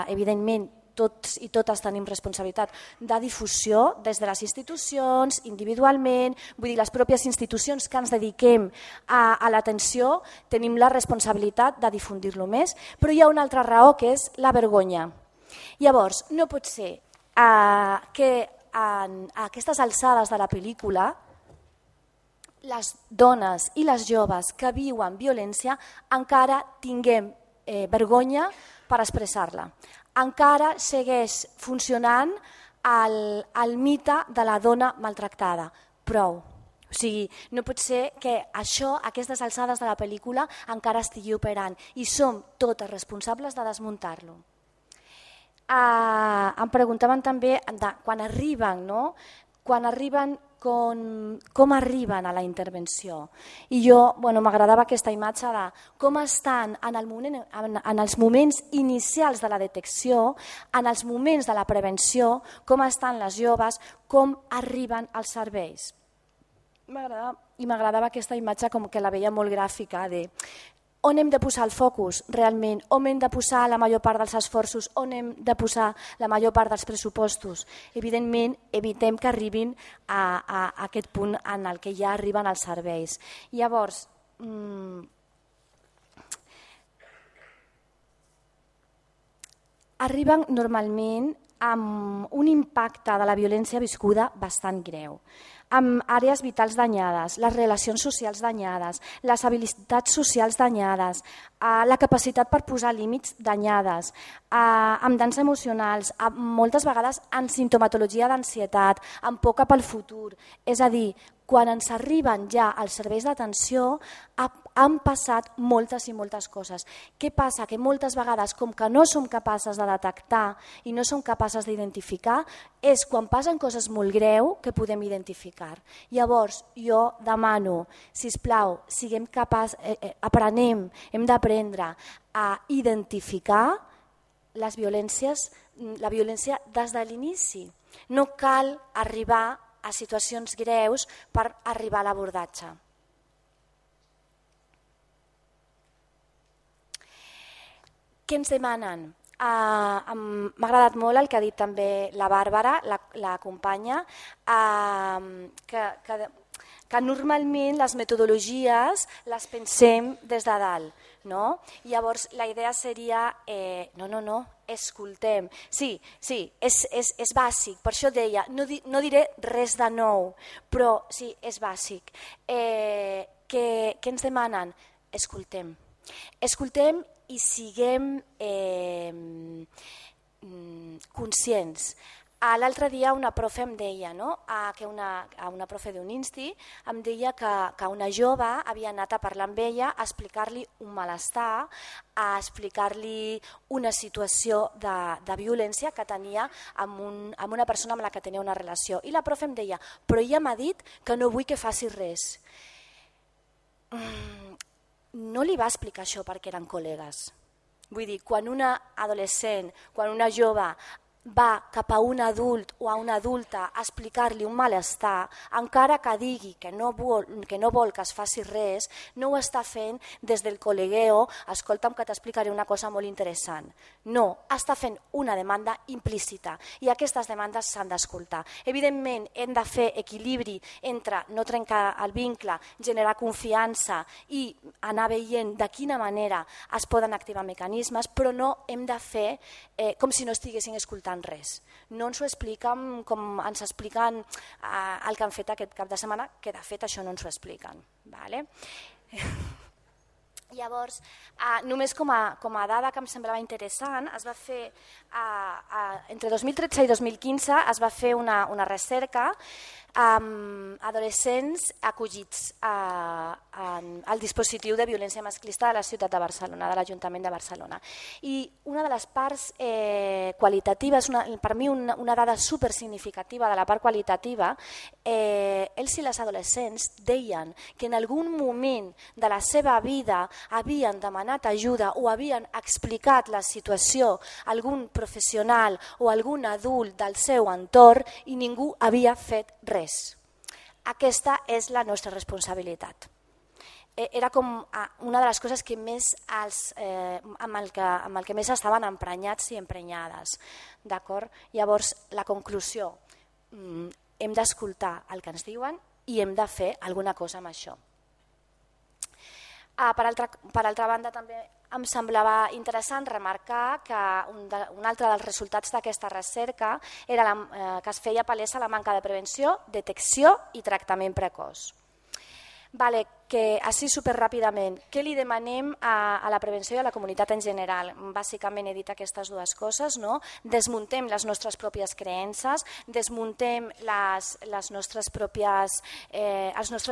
evidentment, tots i totes tenim responsabilitat de difusió des de les institucions, individualment, vull dir, les pròpies institucions que ens dediquem a l'atenció tenim la responsabilitat de difundir-lo més, però hi ha una altra raó que és la vergonya. Llavors, no pot ser que a aquestes alçades de la pel·lícula les dones i les joves que viuen violència encara tinguem vergonya per expressar-la. Encara segueix funcionant el mite de la dona maltractada. Prou. O sigui, no pot ser que això, aquestes alçades de la pel·lícula, encara estigui operant i som totes responsables de desmuntar-lo. Em preguntaven també quan arriben, no? Quan arriben, com arriben a la intervenció. I jo m'agradava aquesta imatge de com estan en els moments inicials de la detecció, en els moments de la prevenció, com estan les joves, com arriben als serveis. M'agradava aquesta imatge com que la veia molt gràfica de on hem de posar el focus realment, on hem de posar la major part dels esforços, on hem de posar la major part dels pressupostos. Evidentment, evitem que arribin a aquest punt en el que ja arriben els serveis. Llavors, arriben normalment amb un impacte de la violència viscuda bastant greu, amb àrees vitals danyades, les relacions socials danyades, les habilitats socials danyades, la capacitat per posar límits danyades, amb danys emocionals, moltes vegades amb sintomatologia d'ansietat, amb por cap al futur. És a dir, quan ens arriben ja als serveis d'atenció han passat moltes i moltes coses. Què passa? Que moltes vegades, com que no som capaces de detectar i no som capaces d'identificar, és quan passen coses molt greus que podem identificar. Llavors, jo demano, sisplau, siguem capaços, aprenem, hem d'aprendre a identificar les violències, la violència des de l'inici. No cal arribar a situacions greus per arribar a l'abordatge. Què ens demanen? M'ha agradat molt el que ha dit també la Bàrbara, la companya, que normalment les metodologies les pensem des de dalt. No? Llavors la idea seria, no, escoltem. Sí, és bàsic, per això deia, no diré res de nou, però sí, és bàsic. Què ens demanen? Escoltem. Escoltem i siguem conscients. L'altre dia una profe em deia, una profe d'un insti, em deia que una jove havia anat a parlar amb ella, a explicar-li un malestar, a explicar-li una situació de violència que tenia amb una persona amb la que tenia una relació. I la profe em deia, però ella m'ha dit que no vull que faci res. No li va explicar això perquè eren col·legues. Vull dir, quan una adolescent, quan una jove va cap a un adult o a una adulta a explicar-li un malestar, encara que digui que no vol que es faci res, no ho està fent des del col·legueo, escolta'm que t'explicaré una cosa molt interessant. No, està fent una demanda implícita i aquestes demandes s'han d'escoltar. Evidentment, hem de fer equilibri entre no trencar el vincle, generar confiança i anar veient de quina manera es poden activar mecanismes, però no hem de fer com si no estiguessin escoltant res. No ens ho expliquen com ens expliquen el que han fet aquest cap de setmana, que de fet això no ens ho expliquen. Llavors, només com a dada que em semblava interessant, es va fer entre 2013 i 2015 es va fer una recerca amb adolescents acollits al dispositiu de violència masclista de la ciutat de Barcelona, de l'Ajuntament de Barcelona. I una de les parts qualitatives, per mi una dada supersignificativa de la part qualitativa, ells i les adolescents deien que en algun moment de la seva vida havien demanat ajuda o havien explicat la situació a algun professional o algun adult del seu entorn i ningú havia fet res. Aquesta és la nostra responsabilitat. era com una de les coses que més amb el que més estaven emprenyats i emprenyades. D'acord? Llavors, la conclusió, hem d'escoltar el que ens diuen i hem de fer alguna cosa amb això. Per altra banda, també em semblava interessant remarcar que un altre dels resultats d'aquesta recerca era que es feia palesa la manca de prevenció, detecció i tractament precoç. Vale, que així superràpidament, què li demanem a la prevenció i a la comunitat en general? Bàsicament he dit aquestes dues coses, no? Desmuntem les nostres pròpies creences, desmuntem els nostres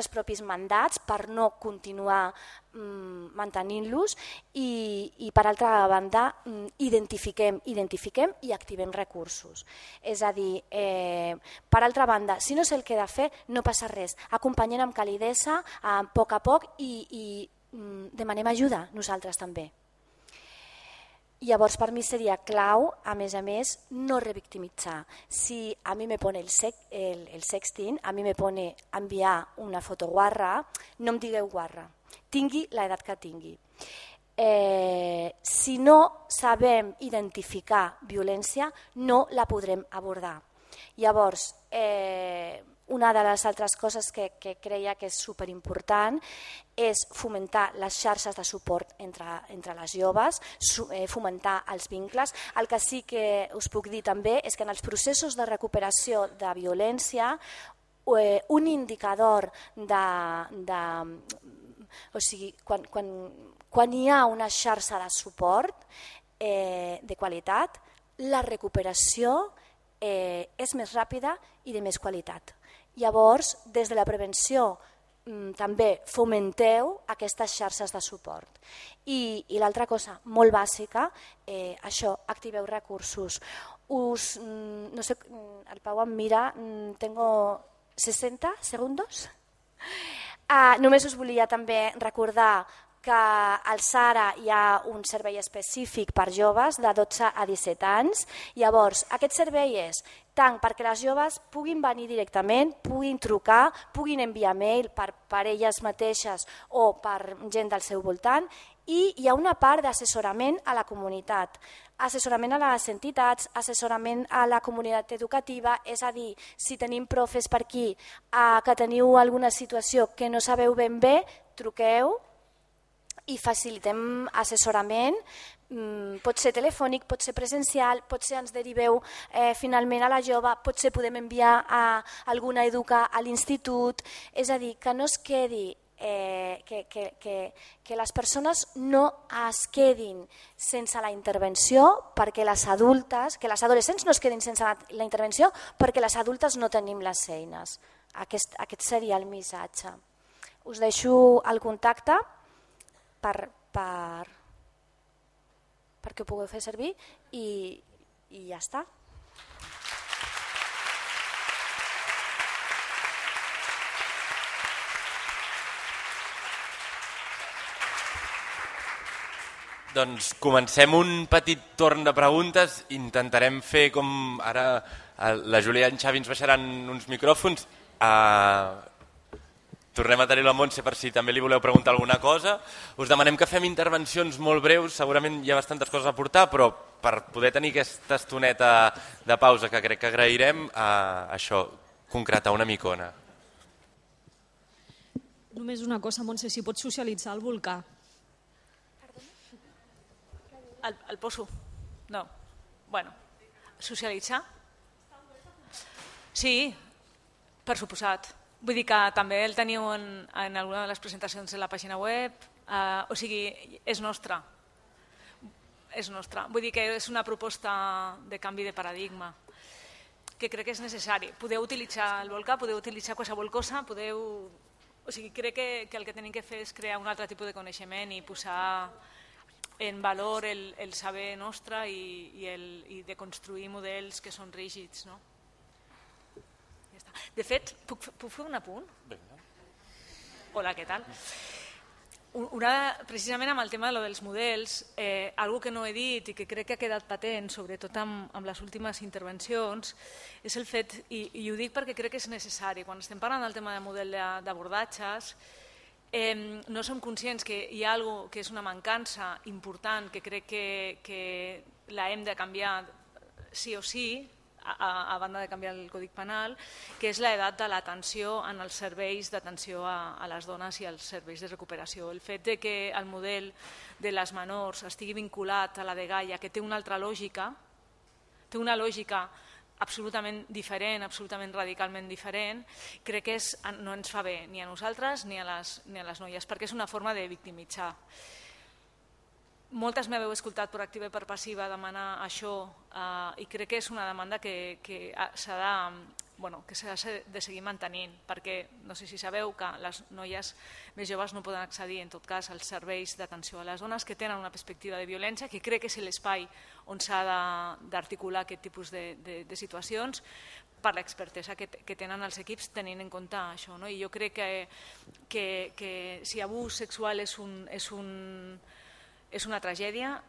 propis mandats per no continuar mantenint-los i per altra banda identifiquem i activem recursos. És a dir, per altra banda, si no sé el que he de fer, no passa res. Acompanyem amb calidesa, a poc a poc i demanem ajuda nosaltres també. Llavors per mi seria clau, a més, no revictimitzar. Si a mi me pone el sexting, a mi me pone enviar una foto guarra, no em digueu guarra, tingui l'edat que tingui. Si no sabem identificar violència, no la podrem abordar. Llavors, una de les altres coses que creia que és superimportant és fomentar les xarxes de suport entre les joves, fomentar els vincles. El que sí que us puc dir també és que en els processos de recuperació de violència un indicador o sigui, quan hi ha una xarxa de suport de qualitat, la recuperació és més ràpida i de més qualitat. Llavors, des de la prevenció també fomenteu aquestes xarxes de suport. I l'altra cosa molt bàsica, això, activeu recursos. No sé, el Pau em mira, tengo 60 segundos. Només us volia també recordar que al SARA hi ha un servei específic per joves de 12 a 17 anys. Llavors, aquest servei és tant perquè les joves puguin venir directament, puguin trucar, puguin enviar mail per elles mateixes o per gent del seu voltant, i hi ha una part d'assessorament a la comunitat, assessorament a les entitats, assessorament a la comunitat educativa, és a dir, si tenim profes per aquí que teniu alguna situació que no sabeu ben bé, truqueu i facilitem assessorament, pot ser telefònic, pot ser presencial, potser ens deriveu finalment a la jove, potser podem enviar a alguna educa a l'institut, és a dir, que no es quedi, que les persones no es quedin sense la intervenció, perquè les adultes, que les adolescents no es quedin sense la intervenció perquè les adultes no tenim les eines. Aquest seria el missatge. Us deixo el contacte perquè ho pugueu fer servir i ja està. Doncs comencem un petit torn de preguntes, intentarem fer com ara la Júlia i en Xavi ens baixaran uns micròfons. Tornem a tenir la Montse per si també li voleu preguntar alguna cosa. Us demanem que fem intervencions molt breus, segurament hi ha bastantes coses a aportar, però per poder tenir aquesta estoneta de pausa que crec que agrairem, això, concretar una micona. Només una cosa, Montse, si pots socialitzar el volcà. El poso? No. Bueno, socialitzar? Sí, per suposat. Vull dir que també el teniu en alguna de les presentacions de la pàgina web, o sigui, és nostra. És nostra. Vull dir que és una proposta de canvi de paradigma que crec que és necessari. Podeu utilitzar el volcà, podeu utilitzar qualsevol cosa, podeu... O sigui, crec que el que tenim que fer és crear un altre tipus de coneixement i posar en valor el saber nostre i de construir models que són rígids, no? De fet, puc fer un apunt? Hola, què tal? Precisament amb el tema dels models, algo que no he dit i que crec que ha quedat patent, sobretot amb les últimes intervencions, és el fet, i ho dic perquè crec que és necessari, quan estem parlant del tema de model d'abordatges, no som conscients que hi ha alguna que és una mancança important que crec que la hem de canviar sí o sí, a banda de canviar el Codi Penal, que és l'edat de l'atenció en els serveis d'atenció a les dones i als serveis de recuperació. El fet de que el model de les menors estigui vinculat a la de Gaia, que té una altra lògica, té una lògica absolutament diferent, absolutament radicalment diferent, crec que no ens fa bé ni a nosaltres ni a les noies, perquè és una forma de victimitzar. Moltes m'heu escoltat per activa i per passiva demanar això i crec que és una demanda que s'ha de seguir mantenint, perquè no sé si sabeu que les noies més joves no poden accedir en tot cas als serveis d'atenció a les dones que tenen una perspectiva de violència, que crec que és l'espai on s'ha d'articular aquest tipus de situacions per l'expertesa que tenen els equips tenint en compte això. I jo crec que si abús sexual és una tragèdia,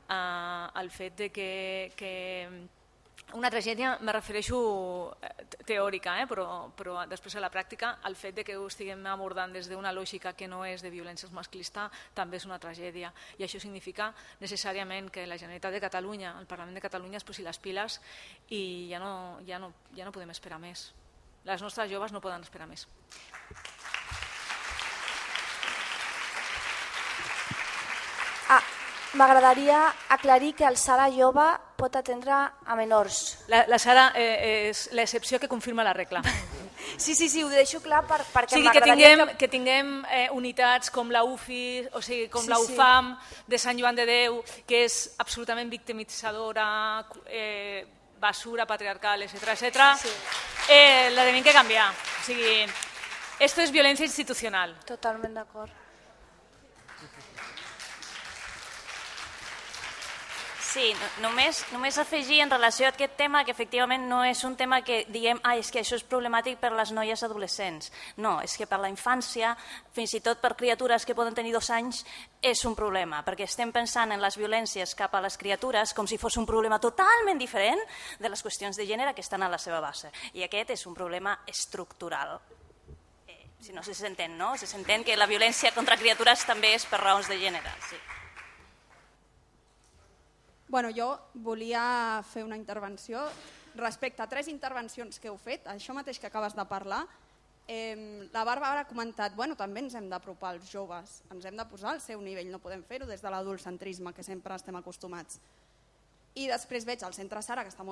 el fet de que una tragèdia me refereixo teòrica, però després a la pràctica el fet de que ho estiguem abordant des d'una lògica que no és de violència masclista també és una tragèdia, i això significa necessàriament que la Generalitat de Catalunya, el Parlament de Catalunya es posi les piles i ja no podem esperar més. Les nostres joves no poden esperar més. M'agradaria aclarir que el SARA jove pot atendre a menors. La SARA és l'excepció que confirma la regla. Sí, ho deixo clar perquè m'agradaria que tinguem unitats com la UFI, o sigui, com la UFAM de Sant Joan de Déu, que és absolutament victimitzadora, basura patriarcal, etc. La tenim que canviar. O sigui, esto es violencia institucional. Totalment d'acord. Sí, només afegir en relació a aquest tema que efectivament no és un tema que diguem és que això és problemàtic per a les noies adolescents. No, és que per la infància, fins i tot per criatures que poden tenir 2 anys, és un problema, perquè estem pensant en les violències cap a les criatures com si fos un problema totalment diferent de les qüestions de gènere que estan a la seva base. I aquest és un problema estructural. Si no se s'entén, no? Se s'entén que la violència contra criatures també és per raons de gènere, sí. Bueno, jo volia fer una intervenció respecte a 3 intervencions que heu fet, això mateix que acabes de parlar. La Bàrbara ha comentat, també ens hem d'apropar als joves, ens hem de posar al seu nivell, no podem fer-ho des de l'adultcentrisme que sempre estem acostumats. I després veig el centre SARA, que està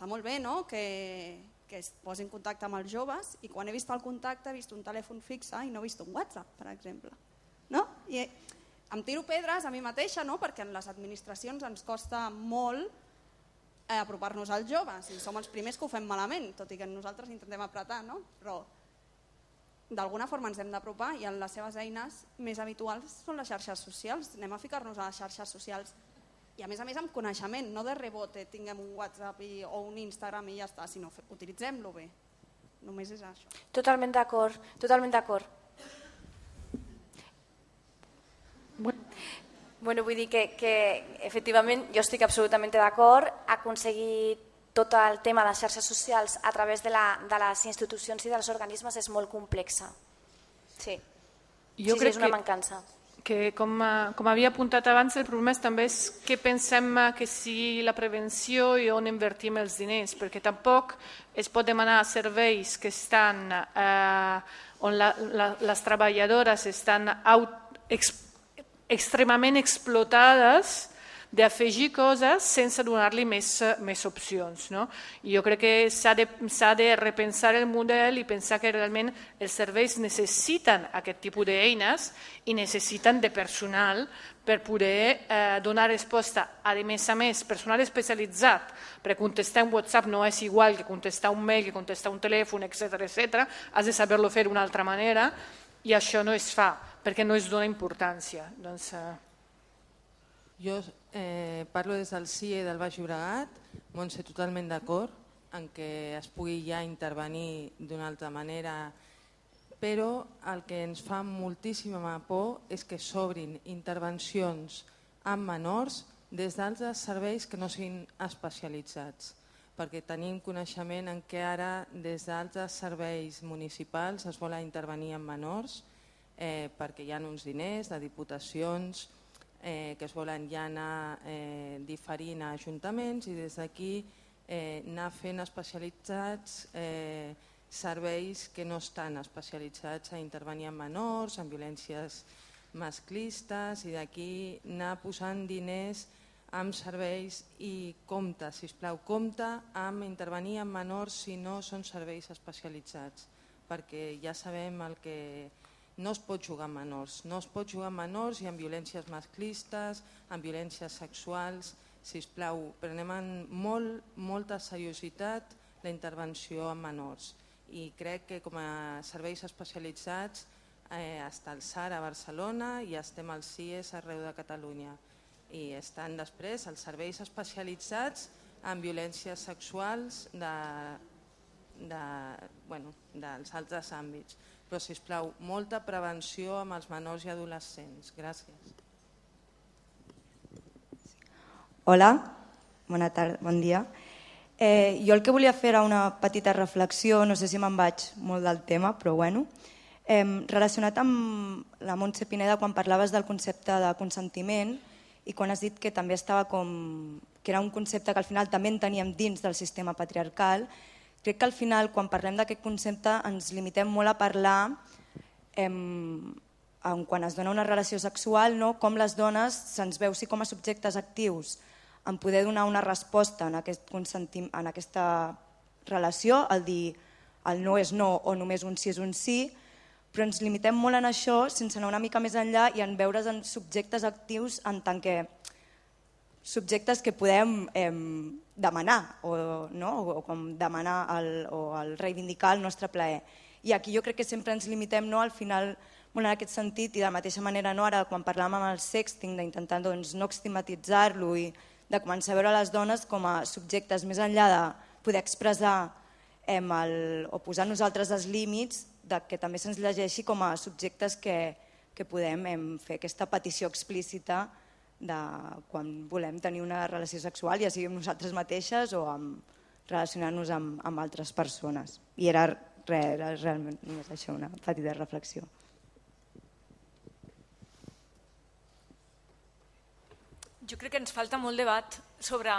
molt bé, que es posi en contacte amb els joves, i quan he vist el contacte he vist un telèfon fixe i no he vist un WhatsApp, per exemple. I em tiro pedres a mi mateixa, perquè en les administracions ens costa molt apropar-nos als joves i som els primers que ho fem malament, tot i que nosaltres intentem apretar, però d'alguna forma ens hem d'apropar i en les seves eines més habituals són les xarxes socials. Anem a ficar-nos a les xarxes socials i a més amb coneixement, no de rebote, tinguem un WhatsApp o un Instagram i ja està, sinó utilitzem-lo bé. Només és això. Totalment d'acord, totalment d'acord. Bueno, vull dir que efectivament jo estic absolutament d'acord. Aconseguir tot el tema de les xarxes socials a través de les institucions i dels organismes és molt complexa. Sí, és una mancança. Que com havia apuntat abans, el problema també és què pensem que sigui la prevenció i on invertim els diners, perquè tampoc es pot demanar serveis que estan on les treballadores estan extremament explotades d'afegir coses sense donar-li més opcions. I jo crec que s'ha de repensar el model i pensar que realment els serveis necessiten aquest tipus d'eines i necessiten de personal per poder donar resposta. A més, personal especialitzat, perquè contestar un WhatsApp no és igual que contestar un mail, que contestar un telèfon, etc. Has de saber-lo fer d'una altra manera i això no es fa, perquè no es dona importància. Jo parlo des del CIE del Baix Llobregat, Montse, totalment d'acord en que es pugui ja intervenir d'una altra manera, però el que ens fa moltíssima por és que s'obrin intervencions amb menors des d'altres serveis que no siguin especialitzats, perquè tenim coneixement en què ara des d'altres serveis municipals es vol intervenir amb menors perquè hi ha uns diners de diputacions que es volen ja anar diferint a ajuntaments i des d'aquí anar fent especialitzats serveis que no estan especialitzats a intervenir en menors, en violències masclistes i d'aquí anar posant diners amb serveis i compte, sisplau, compte amb intervenir en menors si no són serveis especialitzats, perquè ja sabem el que no es pot jugar amb menors. No es pot jugar amb menors i amb violències masclistes, amb violències sexuals. Sisplau, prenem amb molta seriositat la intervenció amb menors i crec que com a serveis especialitzats està el SAR a Barcelona i estem als CIES arreu de Catalunya. I estan després els serveis especialitzats en violències sexuals dels altres àmbits. Però, sisplau, molta prevenció amb els menors i adolescents. Gràcies. Hola, bona tarda, bon dia. Jo el que volia fer era una petita reflexió, no sé si me'n vaig molt del tema, però bueno. Relacionat amb la Montse Pineda quan parlaves del concepte de consentiment i quan has dit que també estava que era un concepte que al final també en teníem dins del sistema patriarcal, crec que al final quan parlem d'aquest concepte ens limitem molt a parlar quan es dona una relació sexual, com les dones se'ns veu sí com a subjectes actius en poder donar una resposta en aquesta relació, el dir el no és no o només un sí és un sí, però ens limitem molt en això sense anar una mica més enllà i en veure's en subjectes actius en tant que subjectes que podem demanar o com demanar o reivindicar el nostre plaer. I aquí jo crec que sempre ens limitem al final molt en aquest sentit i de la mateixa manera ara quan parlàvem amb el sexting d'intentar no estigmatitzar-lo i de començar a veure les dones com a subjectes més enllà de poder expressar o posar nosaltres els límits que també se'ns llegeixi com a subjectes que podem fer aquesta petició explícita de quan volem tenir una relació sexual, ja sigui amb nosaltres mateixes o relacionar-nos amb altres persones. I era realment només això, una petita reflexió. Jo crec que ens falta molt debat sobre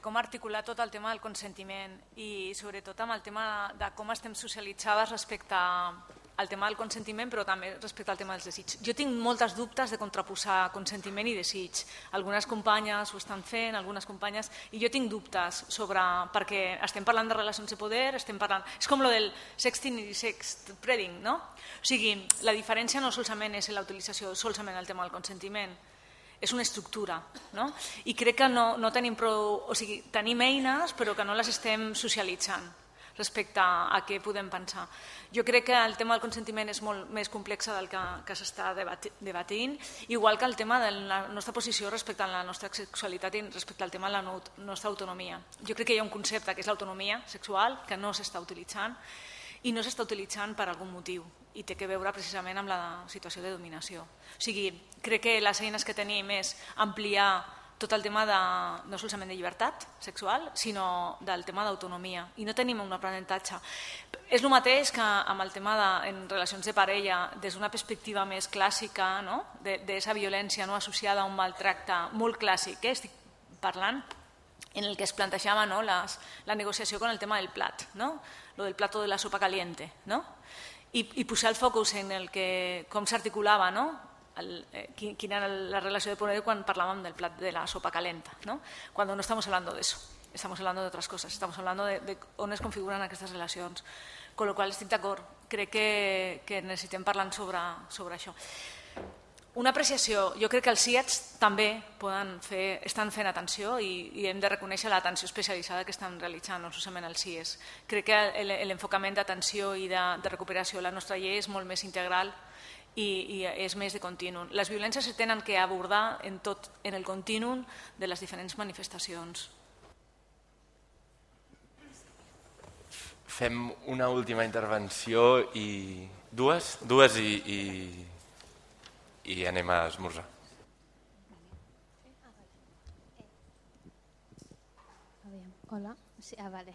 com articular tot el tema del consentiment i sobretot amb el tema de com estem socialitzades respecte al tema del consentiment però també respecte al tema dels desigs. Jo tinc moltes dubtes de contraposar consentiment i desig. Algunes companyes ho estan fent, algunes companyes, i jo tinc dubtes perquè estem parlant de relacions de poder, és com lo del sexting i sextpreading, no? O sigui, la diferència no solament és la utilització solament el tema del consentiment, és una estructura, no? I crec que no tenim prou, o sigui, tenim eines però que no les estem socialitzant respecte a què podem pensar. Jo crec que el tema del consentiment és molt més complex del que s'està debatint, igual que el tema de la nostra posició respecte a la nostra sexualitat i respecte al tema de la nostra autonomia. Jo crec que hi ha un concepte que és l'autonomia sexual que no s'està utilitzant i no s'està utilitzant per algun motiu i té que veure precisament amb la situació de dominació. O sigui, crec que les eines que tenim és ampliar tot el tema no solament de llibertat sexual, sinó del tema d'autonomia. I no tenim un aprenentatge. És el mateix que amb el tema en relacions de parella, des d'una perspectiva més clàssica, d'aquesta violència associada a un maltracte molt clàssic, estic parlant, en el que es plantejava la negociació con el tema del plat, lo del plato de la sopa caliente, i posar el focus en com s'articulava, quina era la relació de poder quan parlàvem del plat de la sopa calenta, cuando no estamos hablando de eso, estamos hablando de otras cosas, estamos hablando de on es configuren aquestes relacions, con lo qual estic d'acord, crec que necessitem parlar sobre això. Una apreciació, jo crec que els CIATs també estan fent atenció i hem de reconèixer l'atenció especialitzada que estan realitzant, no solament els CIES. Crec que l'enfocament d'atenció i de recuperació de la nostra llei és molt més integral i és més de continu. Les violències se tenen que abordar en el continu de les diferents manifestacions. Fem una última intervenció i dues i anem a esmorzar. Hola. Sí, vale.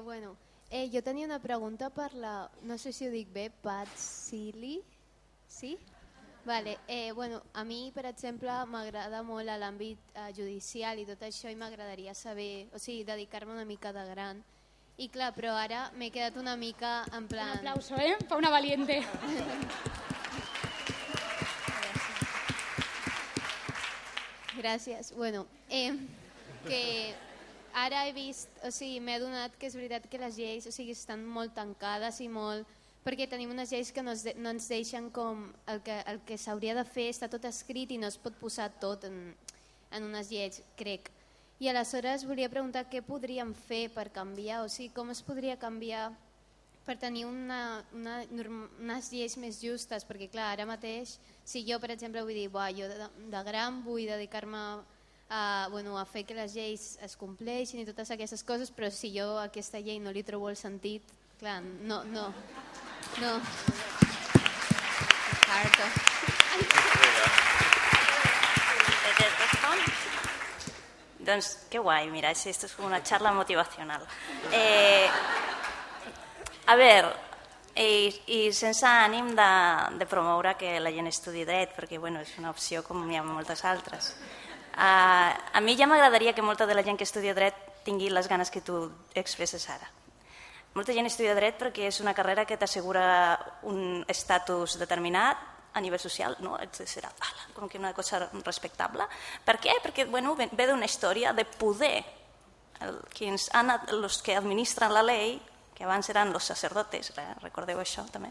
Bueno, jo tenia una pregunta per la, no sé si ho dic bé, Patsili, Sí? Vale. Bueno, a mi, per exemple, m'agrada molt l'àmbit judicial i tot això, i m'agradaria saber, o sigui, dedicar-me una mica de gran. I clar, però ara m'he quedat una mica en plan... Un aplauso, pa una valiente. Gràcies. Bueno, que ara he vist, o sigui, m'he adonat que és veritat que les lleis, o sigui, estan molt tancades i molt... perquè tenim unes lleis que no ens deixen com el que s'hauria de fer, està tot escrit i no es pot posar tot en unes lleis, crec. I aleshores volia preguntar què podríem fer per canviar, o sigui, com es podria canviar per tenir unes lleis més justes, perquè clar, ara mateix, si jo per exemple vull dir, jo de gran vull dedicar-me a fer que les lleis es compleixin i totes aquestes coses, però si jo a aquesta llei no li trobo el sentit, clar, no. Doncs que guai, mira, esto es como una charla motivacional. A veure, i sense ànim de promoure que la gent estudi dret, perquè bueno, és una opció com hi ha moltes altres. A mi ja m'agradaria que molta de la gent que estudia dret tingui les ganes que tu expresses ara. Molta gent estudia dret perquè és una carrera que t'assegura un estatus determinat a nivell social, no? Serà com que una cosa respectable. Per què? Perquè ve d'una història de poder. Els que administren la llei, que abans eren els sacerdotes, recordeu això també,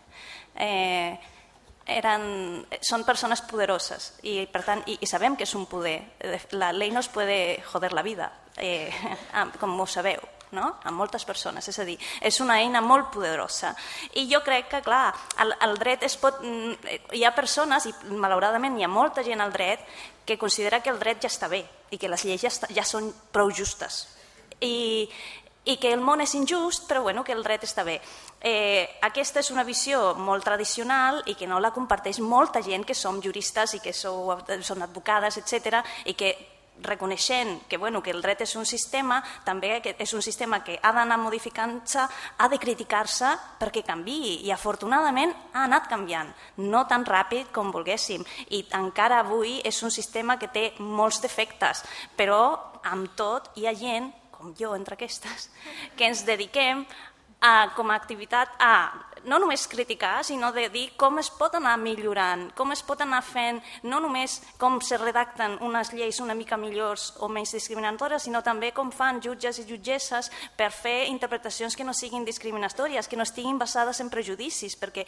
són persones poderoses i per tant i sabem que és un poder. La llei no es puede joder la vida, com ho sabeu, a moltes persones, és a dir, és una eina molt poderosa. I jo crec que, clar, el dret hi ha persones, i malauradament hi ha molta gent al dret, que considera que el dret ja està bé i que les lleis ja són prou justes i que el món és injust, però que el dret està bé. Aquesta és una visió molt tradicional i que no la comparteix molta gent que som juristes i que són advocades, etc., i que reconeixent que el dret és un sistema, també és un sistema que ha d'anar modificant-se, ha de criticar-se perquè canviï, i afortunadament ha anat canviant, no tan ràpid com volguéssim, i encara avui és un sistema que té molts defectes, però amb tot hi ha gent, com jo entre aquestes, que ens dediquem com a activitat a no només criticar, sinó de dir com es pot anar millorant, com es pot anar fent, no només com se redacten unes lleis una mica millors o menys discriminatòries, sinó també com fan jutges i jutgesses per fer interpretacions que no siguin discriminatòries, que no estiguin basades en prejudicis, perquè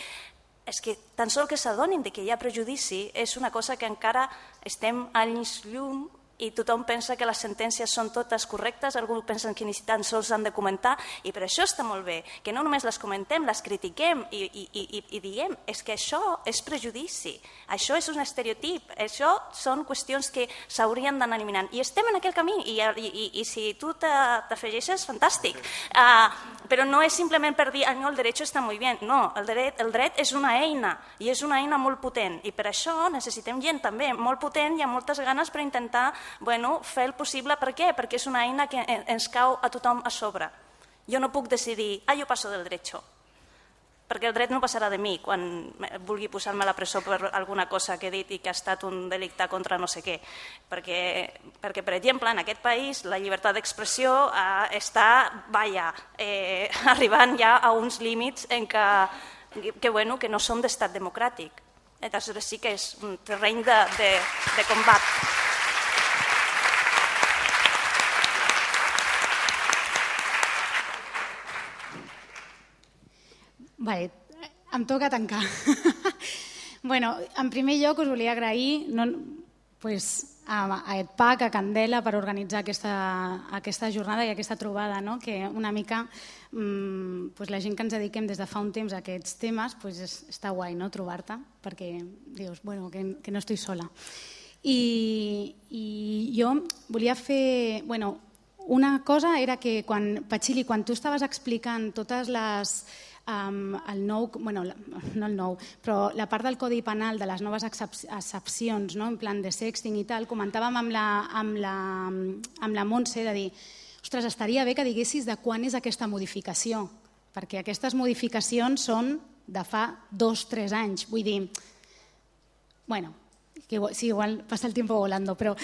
és que tan sols que s'adonin que hi ha prejudici és una cosa que encara estem anys llum i tothom pensa que les sentències són totes correctes, alguns pensen que ni tan sols han de comentar, i per això està molt bé, que no només les comentem, les critiquem i diguem, és que això és prejudici, això és un estereotip, això són qüestions que s'haurien d'anar eliminant, i estem en aquell camí, i si tu t'afegeixes, fantàstic, però no és simplement per dir, no, el dret està molt bé, no, el dret és una eina, i és una eina molt potent, i per això necessitem gent també molt potent i amb moltes ganes per intentar fer el possible. Per què? Perquè és una eina que ens cau a tothom a sobre. Jo no puc decidir, jo passo del derecho, perquè el dret no passarà de mi quan vulgui posar-me a la presó per alguna cosa que he dit i que ha estat un delicte contra no sé què. Perquè per exemple, en aquest país la llibertat d'expressió està arribant ja a uns límits en que no són d'estat democràtic. Aleshores sí que és un terreny de combat. Vale, em toca tancar. En primer lloc us volia agrair a EdPAC, a Candela, per organitzar aquesta jornada i aquesta trobada, que una mica la gent que ens dediquem des de fa un temps a aquests temes està guai trobar-te, perquè dius que no estic sola. I jo volia fer... Una cosa era que, Patxili, quan tu estaves explicant totes les... però la part del Codi Penal de les noves excepcions, en plan de sexting i tal, comentàvem amb la Montse de dir, ostres, estaria bé que diguessis de quan és aquesta modificació, perquè aquestes modificacions són de fa 2 o 3 anys. Vull dir, Bueno, sí, igual passa el tiempo volando, però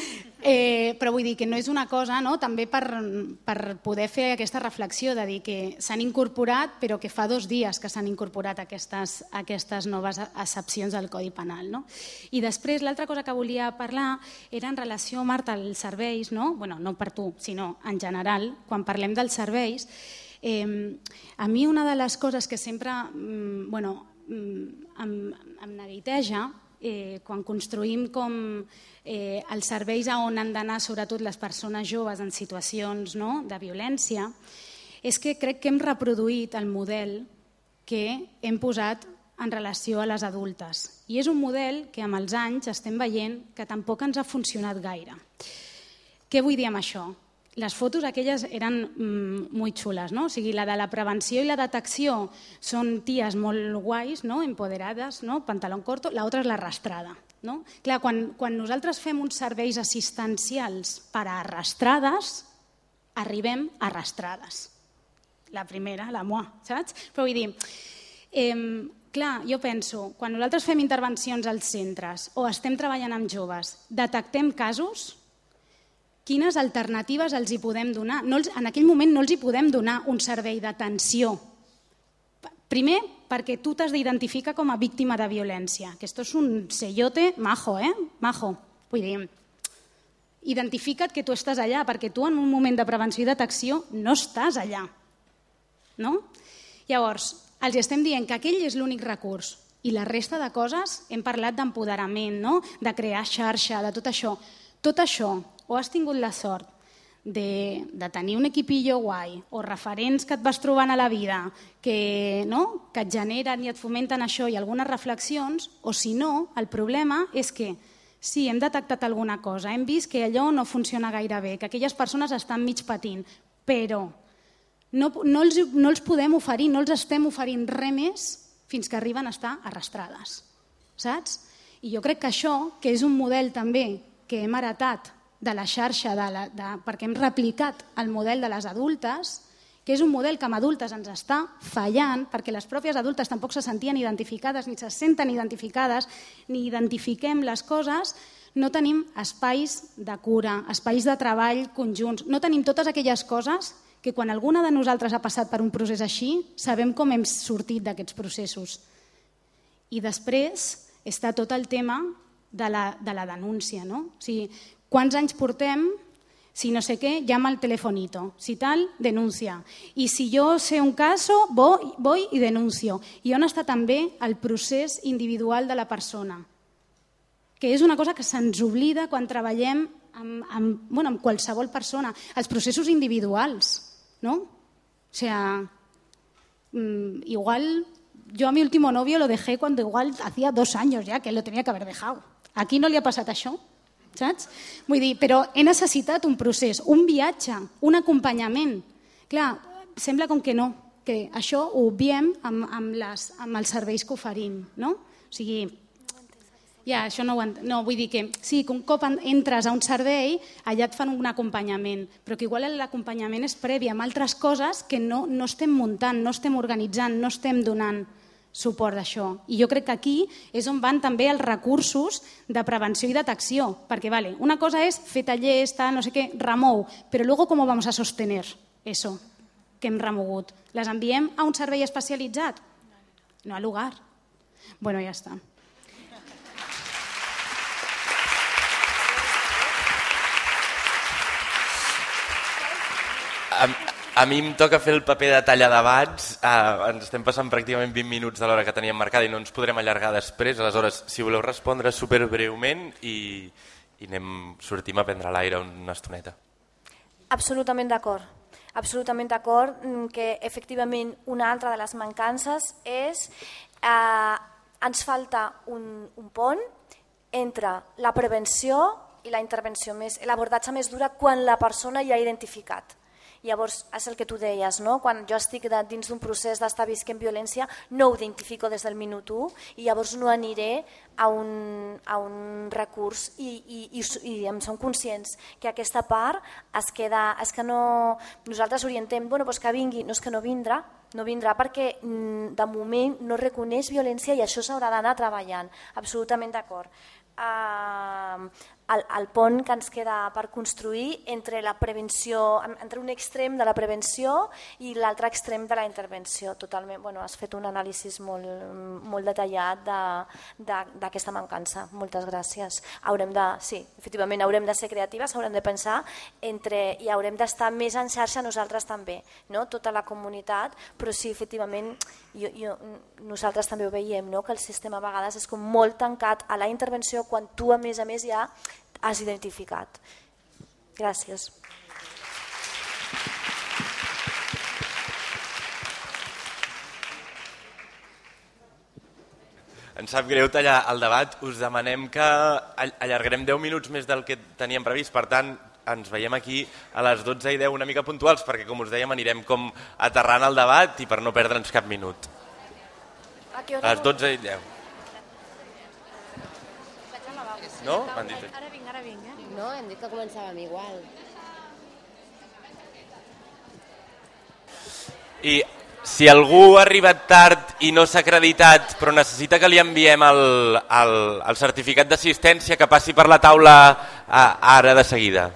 vull dir que no és una cosa, no? També per poder fer aquesta reflexió de dir que s'han incorporat, però que fa 2 dies que s'han incorporat aquestes noves accepcions del Codi Penal. No? I després, l'altra cosa que volia parlar era en relació, Marta, als serveis, no? Bueno, no per tu, sinó en general, quan parlem dels serveis, a mi una de les coses que sempre em neguiteja quan construïm com els serveis on han d'anar sobretot les persones joves en situacions de violència, és que crec que hem reproduït el model que hem posat en relació a les adultes. I és un model que amb els anys estem veient que tampoc ens ha funcionat gaire. Què vull dir amb això? Les fotos aquelles eren molt xules, no? O sigui, la de la prevenció i la detecció són ties molt guais, no? Empoderades, no? Pantalón corto, l'altra és l'arrastrada. No? Clar, quan nosaltres fem uns serveis assistencials per a arrastrades, arribem arrastrades. La primera, la moi, saps? Però vull dir, clar, jo penso, quan nosaltres fem intervencions als centres o estem treballant amb joves, detectem casos, quines alternatives els hi podem donar? En aquell moment no els hi podem donar un servei d'atenció. Primer, perquè tu t'has d'identificar com a víctima de violència, que esto es un sellote majo, majo. Vull dir, identifica't que tu estàs allà, perquè tu en un moment de prevenció i detecció no estàs allà. No? Llavors, els estem dient que aquell és l'únic recurs i la resta de coses, hem parlat d'empoderament, no? De crear xarxa, de tot això. Tot això, o has tingut la sort de tenir un equipillo guai o referents que et vas trobant a la vida que et generen i et fomenten això i algunes reflexions, o si no, el problema és que sí, hem detectat alguna cosa, hem vist que allò no funciona gaire bé, que aquelles persones estan mig patint, però no els podem oferir, no els estem oferint res més fins que arriben a estar arrastrades. Saps? I jo crec que això, que és un model també que hem heretat de la xarxa, perquè hem replicat el model de les adultes, que és un model que amb adultes ens està fallant, perquè les pròpies adultes tampoc se sentien identificades, ni se senten identificades, ni identifiquem les coses, no tenim espais de cura, espais de treball conjunts, no tenim totes aquelles coses que quan alguna de nosaltres ha passat per un procés així, sabem com hem sortit d'aquests processos. I després està tot el tema de la denúncia, no? O sigui, quants anys portem, si no sé què, llama al telefonito, si tal, denuncia. I si jo sé un caso, voy y denuncio. I on està també el procés individual de la persona? Que és una cosa que se'ns oblida quan treballem amb qualsevol persona. Els processos individuals, no? O sea, igual yo a mi último novio lo dejé cuando igual hacía 2 años ya que lo tenía que haber dejado. Aquí no li ha passat això, saps? Vull dir, però he necessitat un procés, un viatge, un acompanyament. Clar, sembla com que no, que això ho obviem amb els serveis que oferim, no? O sigui, ja, això no ho entenc. No, vull dir que sí, que un cop entres a un servei, allà et fan un acompanyament, però que igual l'acompanyament és previ amb altres coses que no estem muntant, no estem organitzant, no estem donant suport d'això. I jo crec que aquí és on van també els recursos de prevenció i detecció, perquè una cosa és fer tallers, no sé què, remou, però luego ¿cómo vamos a sostener eso que hem remogut? Les enviem a un servei especialitzat? No al lugar. Bueno, ja està. A mi em toca fer el paper de talla debats, ens estem passant pràcticament 20 minuts de l'hora que teníem marcada i no ens podrem allargar després, aleshores si voleu respondre superbreument i sortim a prendre l'aire una estoneta. Absolutament d'acord. Absolutament d'acord que efectivament una altra de les mancances és ens falta un pont entre la prevenció i la intervenció, l'abordatge més dura quan la persona ja ha identificat. Llavors, és el que tu deies, no? Quan jo estic dins d'un procés d'estar visquent violència, no ho identifico des del minut 1 i llavors no aniré a un recurs i em som conscients que aquesta part es queda... És que no... Nosaltres orientem, que vingui, no és que no vindrà perquè de moment no reconeix violència i això s'haurà d'anar treballant. Absolutament d'acord. el pont que ens queda per construir entre la prevenció, entre un extrem de la prevenció i l'altre extrem de la intervenció. Totalment, has fet un anàlisi molt detallat d'aquesta mancança. Moltes gràcies. Sí, efectivament, haurem de ser creatives, haurem de pensar i haurem d'estar més en xarxa nosaltres també, tota la comunitat, però sí, efectivament, nosaltres també ho veiem, que el sistema a vegades és com molt tancat a la intervenció quan tu a més ja has identificat. Gràcies. Ens sap greu tallar el debat. Us demanem que allargarem 10 minuts més del que teníem previst. Per tant, ens veiem aquí a les 12:10 una mica puntuals, perquè, com us dèiem, anirem com aterrant el debat i per no perdre'ns cap minut. A les 12:10. No? M'han dit. Ara vinc. No, hem dit que començàvem igual. I si algú ha arribat tard i no s'ha acreditat però necessita que li enviem el certificat d'assistència, que passi per la taula ara de seguida.